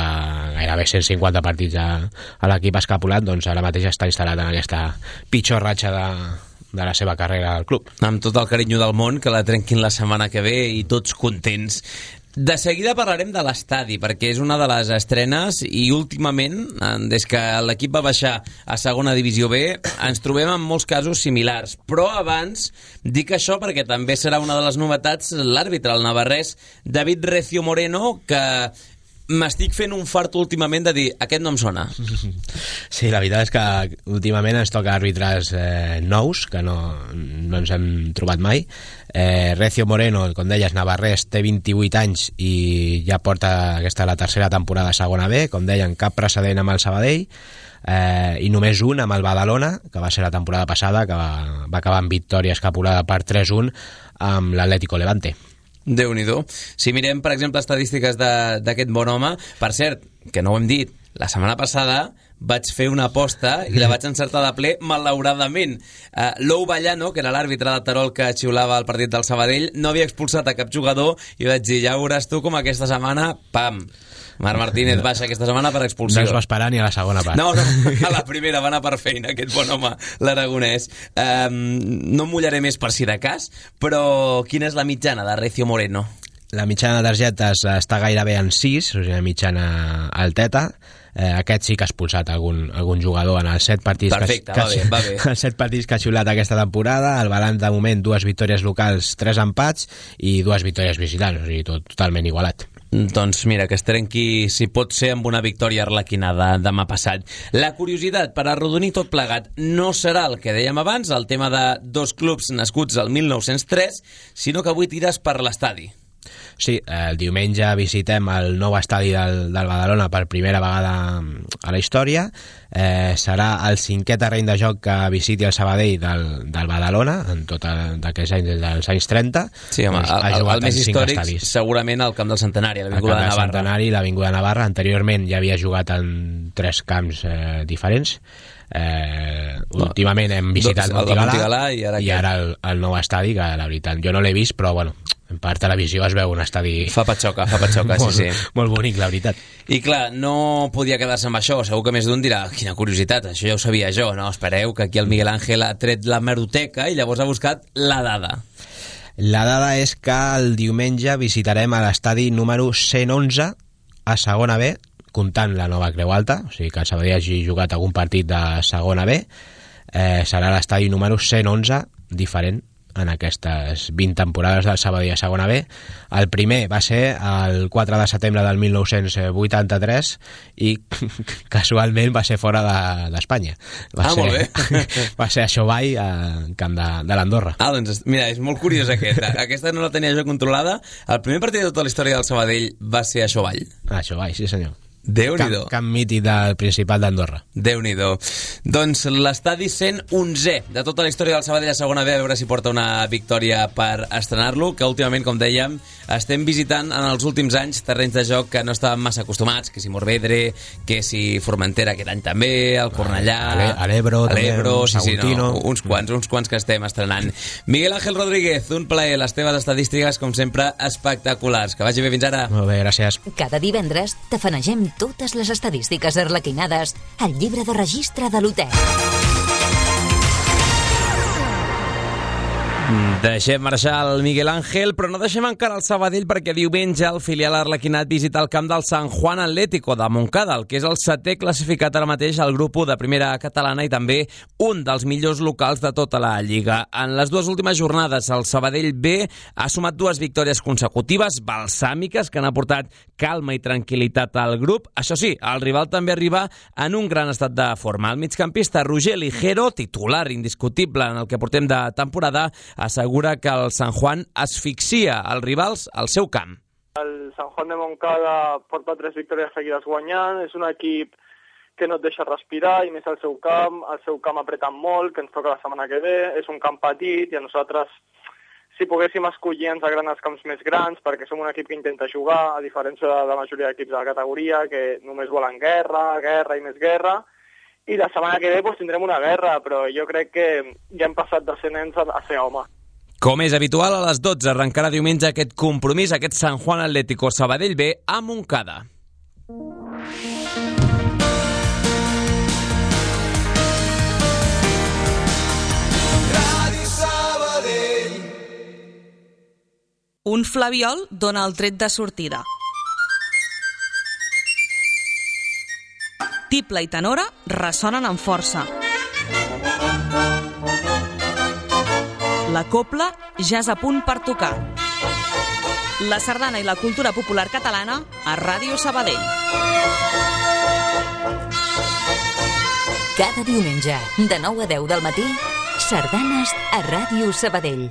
gairebé 150 partits a l'equip escapulat. Doncs ara mateix està instal·lat en aquesta pitjor ratxa de la seva carrera al club. Amb tot el carinyo del món, que la trenquin la setmana que ve i tots contents. De seguida parlarem de l'estadi, perquè és una de les estrenes i últimament, des que l'equip va baixar a segona divisió B, ens trobem en molts casos similars. Però abans dic això perquè també serà una de les novetats l'àrbitre, el navarrès David Recio Moreno, que m'estic fent un fart últimament de dir aquest no em sona. Sí, la veritat és que últimament ens toca àrbitres nous, que no ens hem trobat mai. Recio Moreno, com deies, navarrès, té 28 anys i ja porta aquesta la tercera temporada a segona B, com deien, cap precedent amb el Sabadell, i només un amb el Badalona, que va ser la temporada passada, que va acabar amb victòria escapulada per 3-1 amb l'Atlético Levante. Déu-n'hi-do. Si mirem, per exemple, estadístiques d'aquest bon home, per cert, que no ho hem dit, la setmana passada vaig fer una aposta i la vaig encertar de ple, malauradament. Lou Vallano, que era l'àrbitre de Terol que xiulava el partit del Sabadell, no havia expulsat a cap jugador i vaig dir, ja veuràs tu com aquesta setmana, pam, Marc Martínez baixa aquesta setmana per expulsió. No es va esperar ni a la segona part. No, a la primera va anar per feina, aquest bon home, l'aragonès. No em mullaré més per si de cas, però quina és la mitjana de Recio Moreno? La mitjana de targetes està gairebé en 6, o sigui, la mitjana alteta. Aquest sí que ha expulsat algun jugador en els 7 partits. Perfecte, va bé. Els 7 partits que ha xiulat aquesta temporada. El balanç de moment, 2 victòries locals, 3 empats i 2 victòries visitants, o sigui, totalment igualat. Doncs mira, que es trenqui, si pot ser, amb una victòria arlequinada demà passat. La curiositat, per arrodonir tot plegat, no serà el que dèiem abans, el tema de 2 clubs nascuts al 1903, sinó que avui tires per l'estadi. Sí, el diumenge visitem el nou estadi del Badalona per primera vegada a la història. Serà el 5è terreny de joc que visiti el Sabadell del Badalona en tot d'aquells anys, dels anys 30. Sí, home, el més històric estadis. Segurament el Camp del Centenari, l'Avinguda de Navarra. Centenari, l'Avinguda de Navarra. Anteriorment ja havia jugat en 3 camps diferents. Últimament hem visitat Montigalà i ara el nou estadi, que la veritat jo no l'he vist, però bueno, per televisió es veu un estadi... Fa patxoca, sí. Molt bonic, la veritat. I clar, no podia quedar-se amb això. Segur que més d'un dirà, quina curiositat, això ja ho sabia jo. No, espereu, que aquí el Miguel Ángel ha tret la meroteca i llavors ha buscat la dada. La dada és que el diumenge visitarem a l'estadi número 111 a segona B, comptant la nova Creu Alta, o sigui que el Sabadell hagi jugat algun partit de segona B. Serà l'estadi número 111, diferent en aquestes 20 temporades del Sabadell a segona B. El primer va ser el 4 de setembre del 1983 i casualment va ser fora d'Espanya. Molt bé. Va ser a Xovall, al camp de l'Andorra. Doncs mira, és molt curiós aquesta. Aquesta no la tenia jo controlada. El primer partit de tota la història del Sabadell va ser a Xovall. A Xovall, sí senyor. Déu-n'hi-do. Camp mític del Principat d'Andorra. Déu-n'hi-do. Doncs l'estadi 111è de tota la història del Sabadell a segona B, a veure si porta una victòria per estrenar-lo, que últimament, com dèiem, estem visitant en els últims anys terrenys de joc que no estàvem massa acostumats, que si Morvedre, que si Formentera aquest any també, el Cornellà, a l'Ebro, sí, no, uns quants que estem estrenant. Miguel Ángel Rodríguez, un plaer, les teves estadístiques, com sempre, espectaculars. Que vagi bé, fins ara. Molt bé, gràcies. Cada divendres tafanegem totes les estadístiques arlequinades al llibre de registre de l'hotel. Deixem marxar el Miguel Ángel, però no deixem encara el Sabadell, perquè diumenge el filial arlequinat visita el camp del San Juan Atlético de Montcada, el que és el 7è classificat ara mateix al grup 1 de primera catalana i també un dels millors locals de tota la Lliga. En les 2 últimes jornades el Sabadell B ha sumat 2 victòries consecutives balsàmiques que han aportat calma i tranquil·litat al grup. Això sí, el rival també arriba en un gran estat de forma. El migcampista Roger Ligero, titular indiscutible en el que portem de temporada, assegura que el San Juan asfixia els rivals al seu camp. El San Juan de Montcada porta 3 victòries seguides guanyant, és un equip que no et deixa respirar i més al seu camp apretant molt, que ens toca la setmana que ve, és un camp petit i a nosaltres, si poguéssim escollir, ens agraden els camps més grans perquè som un equip que intenta jugar, a diferència de la majoria d'equips de la categoria que només volen guerra i més guerra. I la setmana que ve tindrem una guerra, però jo crec que ja hem passat de ser nens a ser home. Com és habitual, a les 12 arrencarà diumenge aquest compromís, aquest San Juan Atlético Sabadell B a Montcada. Un flabiol dona el tret de sortida. Tibla i tenora ressonen amb força. La copla ja és a punt per tocar. La sardana i la cultura popular catalana a Ràdio Sabadell. Cada diumenge, de 9 a 10 del matí, sardanes a Ràdio Sabadell.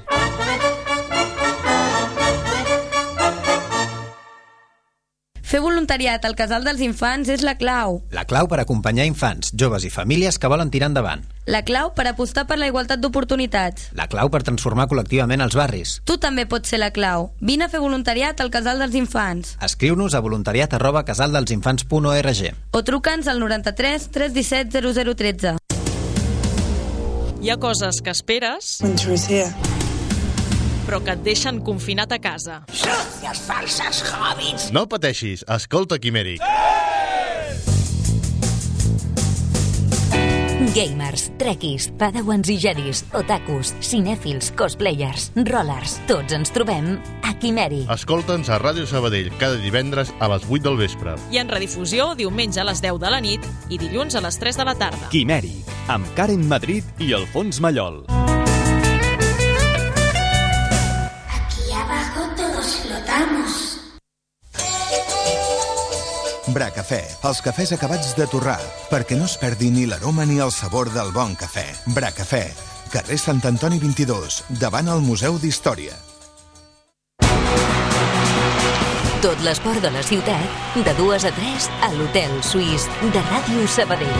Fer voluntariat al Casal dels Infants és la clau. La clau per acompanyar infants, joves i famílies que volen tirar endavant. La clau per apostar per la igualtat d'oportunitats. La clau per transformar col·lectivament els barris. Tu també pots ser la clau. Vine a fer voluntariat al Casal dels Infants. Escriu-nos a voluntariat@casaldelsinfants.org o truca'ns al 93 317 0013. Hi ha coses que esperes, però que et deixen confinat a casa. Sucios falsos hobbits! No pateixis, escolta Quimèric. Gamers, trekkies, padawans i jedis, otakus, cinèfils, cosplayers, rollers, tots ens trobem a Quimèric. Escolta'ns a Ràdio Sabadell cada divendres a les 8 del vespre. I en redifusió diumenge a les 10 de la nit i dilluns a les 3 de la tarda. Quimèric, amb Karen Madrid i Alfons Mallol. Aquí abajo todos flotamos. Bracafè, els cafès acabats de torrar, perquè no es perdi ni l'aroma ni el sabor del bon cafè. Bracafè, carrer Sant Antoni 22, davant el Museu d'Història. Tot l'esport de la ciutat, de 2 a 3, a l'Hotel Suís de Ràdio Sabadell.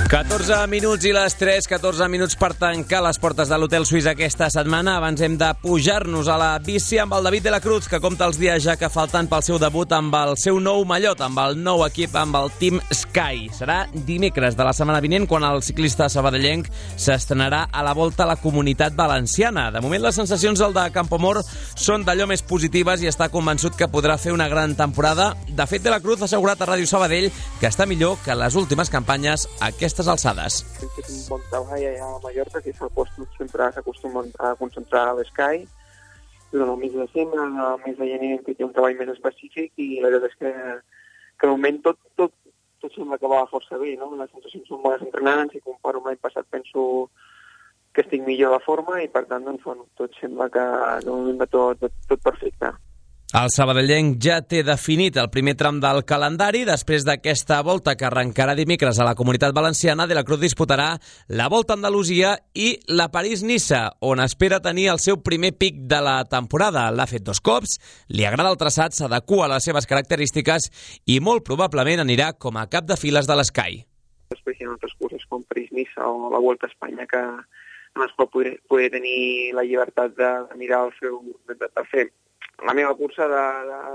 14 minuts i les 3, 14 minuts per tancar les portes de l'Hotel Suís aquesta setmana. Abans hem de pujar-nos a la bici amb el David de la Cruz, que compta els dies ja que falten pel seu debut amb el seu nou mallot, amb el nou equip, amb el Team Sky. Serà dimecres de la setmana vinent quan el ciclista sabadellenc s'estrenarà a la Volta a la Comunitat Valenciana. De moment les sensacions del de Campoamor són d'allò més positives i està convençut que podrà fer una gran temporada. De fet, de la Cruz ha assegurat a Ràdio Sabadell que està millor que les últimes campanyes aquestes alçades. Hem fet un bon treball allà a Mallorca, que s'ha sempre s'acostumen a concentrar a l'Sky. Durant el mes de desembre, el mes de gener hem fet un treball més específic i la veritat és que de moment tot sembla que va força bé, no? Les sensacions són bones entrenants i comparo amb l'any passat penso que estic millor de forma i per tant doncs, bueno, tot sembla que de moment va tot perfecte. El sabadellenc ja té definit el primer tram del calendari. Després d'aquesta volta que arrencarà dimecres a la Comunitat Valenciana, de la Cruz disputarà la Volta a Andalusia i la París-Niça, on espera tenir el seu primer pic de la temporada. L'ha fet 2 cops, li agrada el traçat, s'adequa a les seves característiques i molt probablement anirà com a cap de files de l'Sky. Després hi ha altres curses com París-Niça o la Volta a Espanya que en les quals poder tenir la llibertat de mirar de fer la meva cursa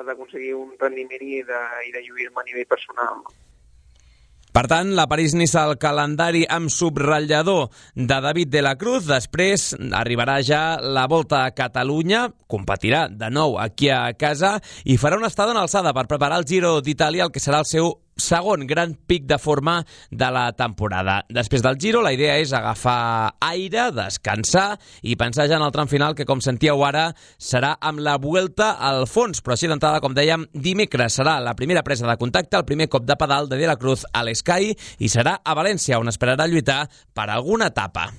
d'aconseguir un rendiment i de lluir-me a nivell personal. Per tant, la París-Niça al calendari amb subratllador de David de la Cruz. Després arribarà ja la Volta a Catalunya, competirà de nou aquí a casa i farà una estada en alçada per preparar el Giro d'Itàlia, el que serà el seu segon gran pic de forma de la temporada. Després del Giro, la idea és agafar aire, descansar i pensar ja en el tram final, que com sentíeu ara, serà amb la Vuelta al fons. Però així d'entrada, com dèiem, dimecres serà la primera presa de contacte, el primer cop de pedal de la Cruz a l'Sky i serà a València, on esperarà lluitar per alguna etapa.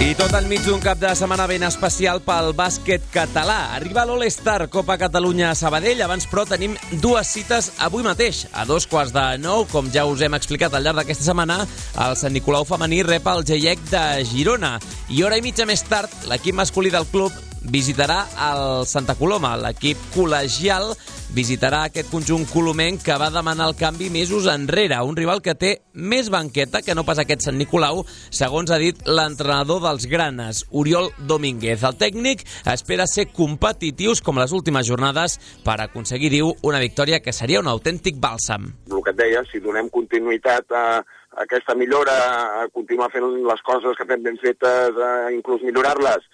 I tot enmig d'un cap de setmana ben especial pel bàsquet català. Arriba l'All-Star Copa Catalunya a Sabadell. Abans, però, tenim 2 cites avui mateix. A 8:45, com ja us hem explicat al llarg d'aquesta setmana, el Sant Nicolau femení rep el GIEC de Girona. I hora i mitja més tard, l'equip masculí del club visitarà el Santa Coloma. L'equip col·legial visitarà aquest conjunt colomenc que va demanar el canvi mesos enrere. Un rival que té més banqueta que no pas aquest Sant Nicolau, segons ha dit l'entrenador dels granes, Oriol Domínguez. El tècnic espera ser competitius com les últimes jornades per aconseguir, diu, una victòria que seria un autèntic bàlsam. El que et deia, si donem continuïtat a aquesta millora, a continuar fent les coses que fem ben fetes, inclús millorar-les,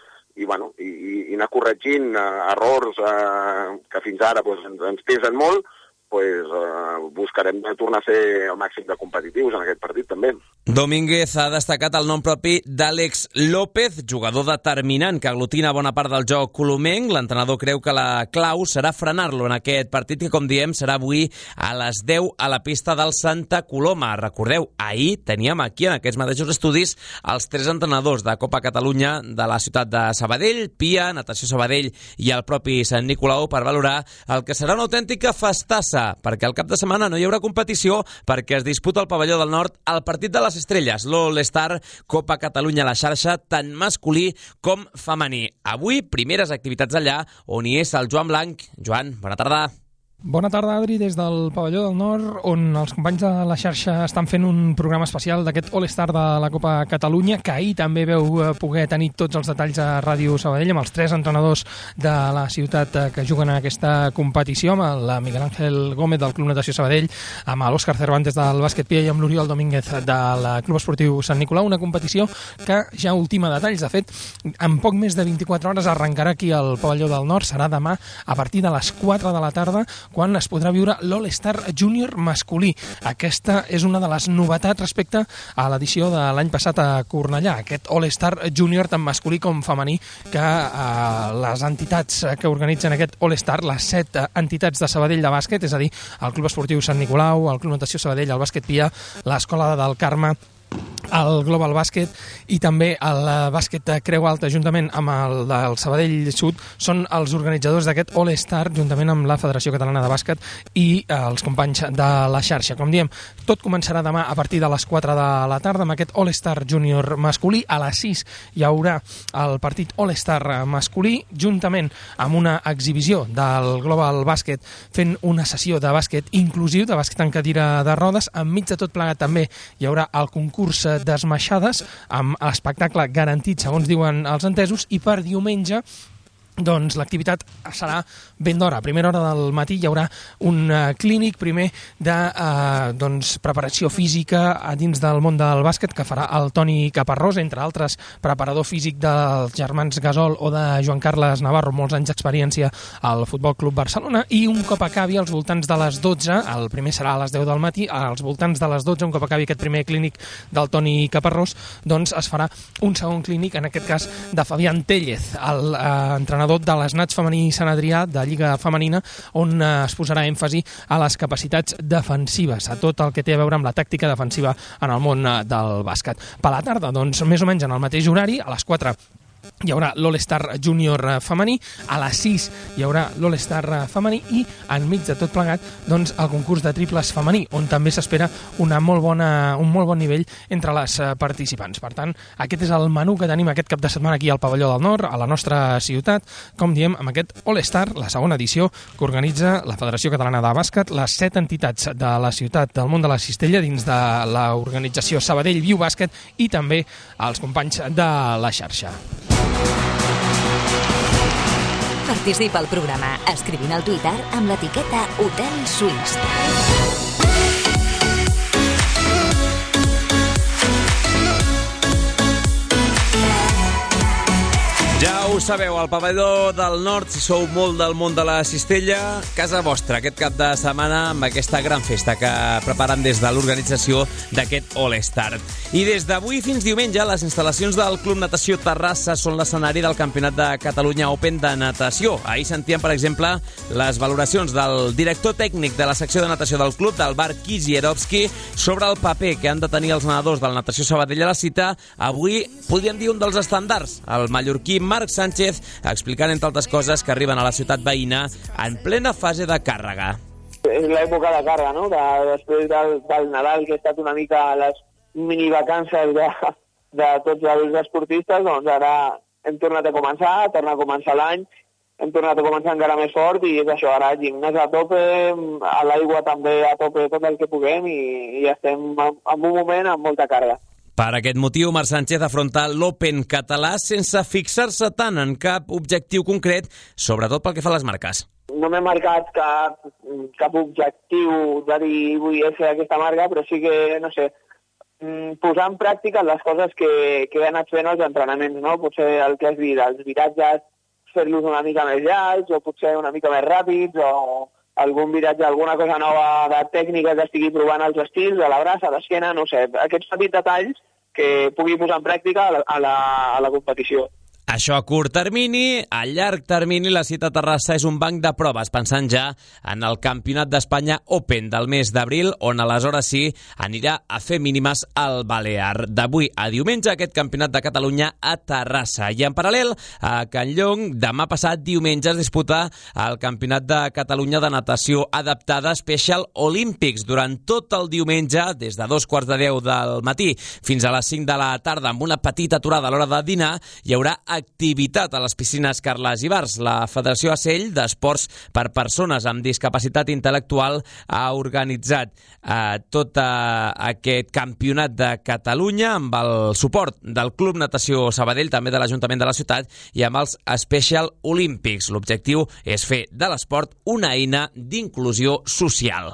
anar corregint errors que fins ara ens pesen molt, buscarem tornar a ser el màxim de competitius en aquest partit també. Domínguez ha destacat el nom propi d'Àlex López, jugador determinant que aglutina bona part del joc colomenc. L'entrenador creu que la clau serà frenar-lo en aquest partit que, com diem, serà avui a les 10 a la pista del Santa Coloma. Recordeu, ahir teníem aquí, en aquests mateixos estudis, els 3 entrenadors de Copa Catalunya de la ciutat de Sabadell, Pia, Natació Sabadell i el propi Sant Nicolau per valorar el que serà una autèntica festassa, perquè al cap de setmana no hi haurà competició perquè es disputa al Pavelló del Nord el partit de les estrelles, l'All-Star Copa Catalunya a la xarxa, tant masculí com femení. Avui, primeres activitats allà on hi és el Joan Blanc. Joan, bona tarda. Bona tarda, Adri, des del Pavelló del Nord, on els companys de la xarxa estan fent un programa especial d'aquest All-Star de la Copa Catalunya, que ahir també veu poder tenir tots els detalls a Ràdio Sabadell, amb els 3 entrenadors de la ciutat que juguen en aquesta competició, amb el Miguel Ángel Gómez del Club Natació Sabadell, amb l'Òscar Cervantes del Bàsquet Pia i amb l'Oriol Domínguez del Club Esportiu Sant Nicolau, una competició que ja ultima detalls. De fet, en poc més de 24 hores arrencarà aquí al Pavelló del Nord, serà demà a partir de les 4 de la tarda, quan es podrà viure l'All-Star Júnior masculí. Aquesta és una de les novetats respecte a l'edició de l'any passat a Cornellà, aquest All-Star Júnior tant masculí com femení, que les entitats que organitzen aquest All-Star, les 7 entitats de Sabadell de bàsquet, és a dir, el Club Esportiu Sant Nicolau, el Club Natació Sabadell, el Bàsquet Pia, l'Escola del Carme, el Global Bàsquet i també el Bàsquet Creu Alta, juntament amb el del Sabadell Sud, són els organitzadors d'aquest All-Star, juntament amb la Federació Catalana de Bàsquet i els companys de la xarxa. Com diem, tot començarà demà a partir de les 4 de la tarda amb aquest All-Star Júnior masculí. A les 6 hi haurà el partit All-Star masculí, juntament amb una exhibició del Global Bàsquet fent una sessió de bàsquet inclusiu, de bàsquet en cadira de rodes. Enmig de tot plegat també hi haurà el concurs d'esmaixades amb l'espectacle garantit, segons diuen els entesos, i per diumenge doncs l'activitat serà ben d'hora. A primera hora del matí hi haurà un clínic primer de preparació física a dins del món del bàsquet que farà el Toni Caparrós, entre altres preparador físic dels germans Gasol o de Joan Carles Navarro, molts anys d'experiència al Futbol Club Barcelona, i un cop acabi als voltants de les 12, el primer serà a les 10 del matí, als voltants de les 12, un cop acabi aquest primer clínic del Toni Caparrós, doncs es farà un segon clínic, en aquest cas de Fabián Tellez, l'entrenador de les Nats femení Sant Adrià de Lliga Femenina, on es posarà èmfasi a les capacitats defensives, a tot el que té a veure amb la tàctica defensiva en el món del bàsquet. Per la tarda, doncs, més o menys en el mateix horari, a les 4 hi haurà l'All-Star Júnior femení, a les 6 hi haurà l'All-Star femení i enmig de tot plegat doncs, el concurs de triples femení, on també s'espera un molt bon nivell entre les participants. Per tant, aquest és el menú que tenim aquest cap de setmana aquí al Pavelló del Nord, a la nostra ciutat, com diem, amb aquest All-Star, la segona edició que organitza la Federació Catalana de Bàsquet, les 7 entitats de la ciutat del món de la cistella dins de l'organització Sabadell Viu Bàsquet i també els companys de la xarxa. Participa al programa escrivint al Twitter amb l'etiqueta Hotel Suís. Ja ho sabeu, al Pavelló del Nord, si sou molt del món de la cistella, casa vostra aquest cap de setmana amb aquesta gran festa que preparen des de l'organització d'aquest All-Star. I des d'avui fins diumenge, les instal·lacions del Club Natació Terrassa són l'escenari del Campionat de Catalunya Open de natació. Ahir sentíem, per exemple, les valoracions del director tècnic de la secció de natació del club, del Bar Kizierovski, sobre el paper que han de tenir els nedadors del Natació Sabadell a la cita. Avui podríem dir un dels estàndards, el mallorquí Marc Sánchez, explicant, entre altres coses, que arriben a la ciutat veïna en plena fase de càrrega. És l'època de càrrega, no? Després del Nadal, que ha estat una mica les minivacances de tots els esportistes, doncs ara hem tornat a començar l'any, hem tornat a començar encara més fort i és això, ara gimnàs a tope, a l'aigua també a tope, tot el que puguem i estem en un moment amb molta càrrega. Per aquest motiu, Marc Sánchez afronta l'Open català sense fixar-se tant en cap objectiu concret, sobretot pel que fa a les marques. No m'he marcat cap objectiu de dir vull fer aquesta marca, però sí que, no sé, posar en pràctica les coses que he anat fent als entrenaments, no? Potser el que has dit, els viratges, fer-los una mica més llargs, o potser una mica més ràpids, o algun viratge, alguna cosa nova de tècnica que estigui provant als estils, a la braça, a l'esquena, no sé, aquests petits detalls que pugui posar en pràctica a la competició. Això a curt termini. A llarg termini, la cita a Terrassa és un banc de proves, pensant ja en el Campionat d'Espanya Open del mes d'abril, on aleshores sí anirà a fer mínimes al Balear. D'avui a diumenge, aquest Campionat de Catalunya a Terrassa. I en paral·lel, a Can Llong, demà passat diumenge es disputa el Campionat de Catalunya de natació adaptada Special Olympics. Durant tot el diumenge, des de 2:45 del matí fins a les 5 de la tarda, amb una petita aturada a l'hora de dinar, hi haurà activitat a les piscines Carles Ibars. La Federació Acell d'Esports per Persones amb Discapacitat Intel·lectual ha organitzat tot aquest campionat de Catalunya amb el suport del Club Natació Sabadell, també de l'Ajuntament de la ciutat, i amb els Special Olympics. L'objectiu és fer de l'esport una eina d'inclusió social.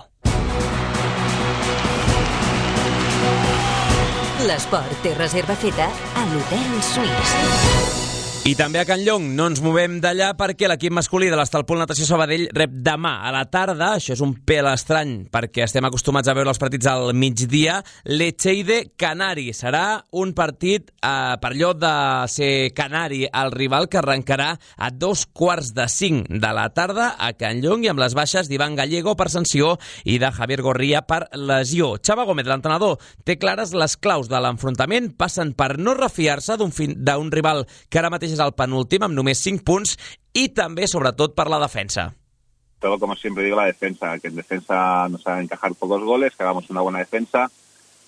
L'esport té reserva feta a l'Hotel Suís. I també a Can Llong no ens movem d'allà perquè l'equip masculí de l'Estalpol Natació Sabadell rep demà a la tarda, això és un pèl estrany perquè estem acostumats a veure els partits al migdia, l'Echeide Canari. Serà un partit, per allò de ser canari, el rival que arrencarà a 4:45 de la tarda a Can Llong, i amb les baixes d'Ivan Gallego per sanció i de Javier Gorría per lesió. Xava Gómez, l'entrenador, té clares les claus de l'enfrontament, passen per no refiar-se d'un rival que ara mateix és el penúltim amb només 5 punts, y també, sobretot, per la defensa. Todo, como siempre digo, la defensa, que en defensa nos haga encajar pocos goles, que hagamos una buena defensa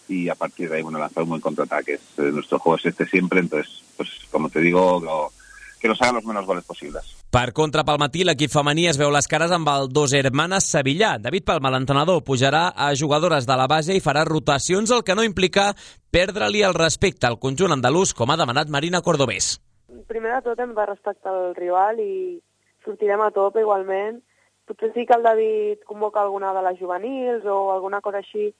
y a partir de ahí, bueno, lanzar un buen contraataque. Nuestro juego es este siempre, entonces, pues como te digo, que nos hagan los menos goles posibles. Per contra, pel matí, l'equip femení es veu les cares amb el Dos Hermanes Sevillà. David Palma, l'entrenador, pujarà a jugadores de la base i farà rotacions, el que no implica perdre-li el respecte al conjunt andalús, com ha demanat Marina Cordobés. Primer de tot hem de respectar el rival i sortirem a tope igualment. Potser sí que el David convoca alguna de les juvenils o alguna cosa així,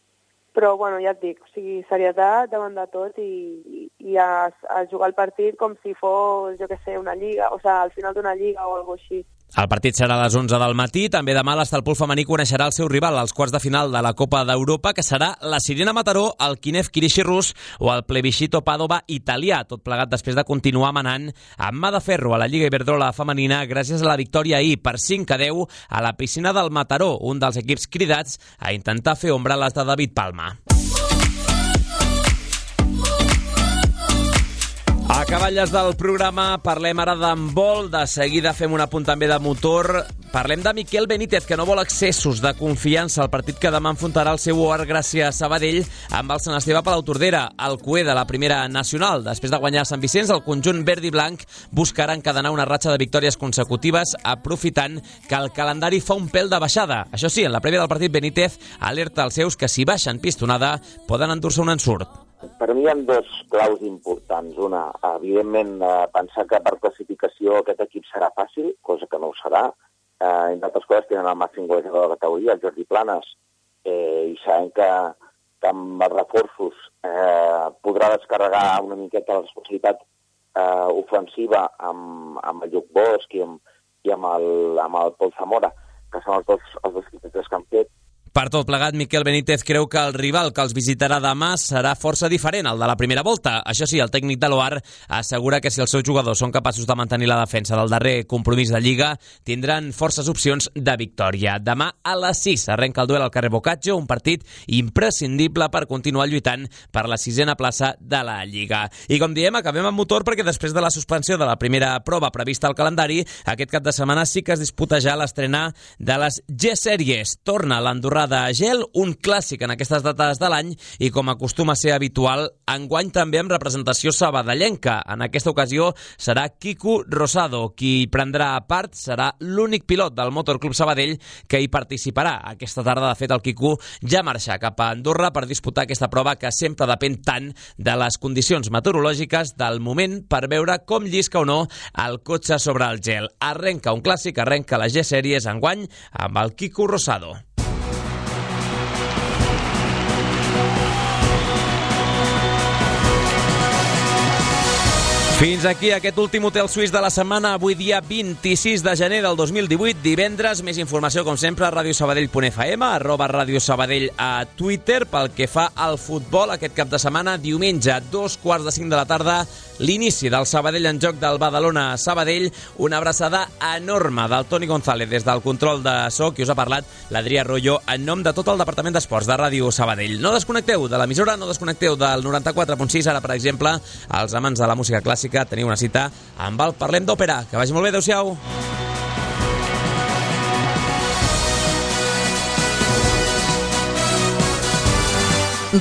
però bueno, ja et dic, o sigui, serietat davant de tot i a jugar el partit com si fos, jo què sé, una lliga, o sigui, al final d'una lliga o alguna així. El partit serà a les 11 del matí. També demà l'Estalpol femení coneixerà el seu rival als quarts de final de la Copa d'Europa, que serà la Sirena Mataró, el Kiev Kirishi rus o el Plebiscito Padova italià, tot plegat després de continuar manant amb mà de ferro a la Lliga Iberdrola femenina gràcies a la victòria ahir per 5-10 a la piscina del Mataró, un dels equips cridats a intentar fer ombra a les de David Palma. A acaballes del programa parlem ara d'handbol, de seguida fem un apunt també de motor, parlem de Miquel Benítez, que no vol excessos de confiança al partit que demà enfrontarà el seu Art Gràcia Sabadell amb el Sant Esteve Palautordera, el cué de la primera nacional. Després de guanyar a Sant Vicenç, el conjunt verd i blanc buscarà encadenar una ratxa de victòries consecutives, aprofitant que el calendari fa un pèl de baixada. Això sí, en la prèvia del partit, Benítez alerta als seus que si baixen pistonada poden endur-se un ensurt. Per mi hi ha dos claus importants. Una, evidentment, pensar que per classificació aquest equip serà fàcil, cosa que no ho serà. Entre altres coses, tenen el màxim golejador de la categoria, el Jordi Planes, i sabem que amb els reforços podrà descarregar una miqueta la responsabilitat ofensiva amb el Lluc Bosch i amb el Pol Zamora, que són els dos equips que han fet. Per tot plegat, Miquel Benítez creu que el rival que els visitarà demà serà força diferent al de la primera volta. Això sí, el tècnic de l'OAR assegura que si els seus jugadors són capaços de mantenir la defensa del darrer compromís de Lliga, tindran forces opcions de victòria. Demà a les 6 arrenca el duel al carrer Boccaccio, un partit imprescindible per continuar lluitant per la 6a plaça de la Lliga. I com diem, acabem amb motor perquè després de la suspensió de la primera prova prevista al calendari, aquest cap de setmana sí que es disputa ja l'estrena de les G-Sèries. Torna l'Andorrà de gel, un clàssic en aquestes dates de l'any i com acostuma a ser habitual, enguany també amb representació sabadellenca. En aquesta ocasió serà Quico Rosado qui prendrà part, serà l'únic pilot del Motor Club Sabadell que hi participarà. Aquesta tarda, de fet, el Quico ja marxa cap a Andorra per disputar aquesta prova que sempre depèn tant de les condicions meteorològiques del moment per veure com llisca o no el cotxe sobre el gel. Arrenca un clàssic, arrenca la G-Sèries enguany amb el Quico Rosado. Fins aquí aquest últim hotel suís de la setmana, avui dia 26 de gener del 2018, divendres. Més informació, com sempre, a radiosabadell.fm, @Radio Sabadell a Twitter. Pel que fa al futbol, aquest cap de setmana, diumenge, 2:45 de la tarda, l'inici del Sabadell en joc del Badalona-Sabadell. Una abraçada enorme del Toni González des del control de so, qui us ha parlat, l'Adrià Royo, en nom de tot el Departament d'Esports de Ràdio Sabadell. No desconnecteu de l'emissora, no desconnecteu del 94.6. Ara, per exemple, els amants de la música clàssica, teniu una cita amb el Parlem d'Òpera. Que vagi molt bé, adeu-siau.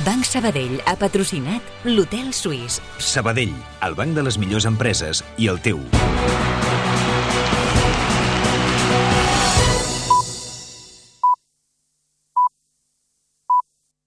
Banc Sabadell ha patrocinat l'Hotel Suís. Sabadell, el banc de les millors empreses i el teu.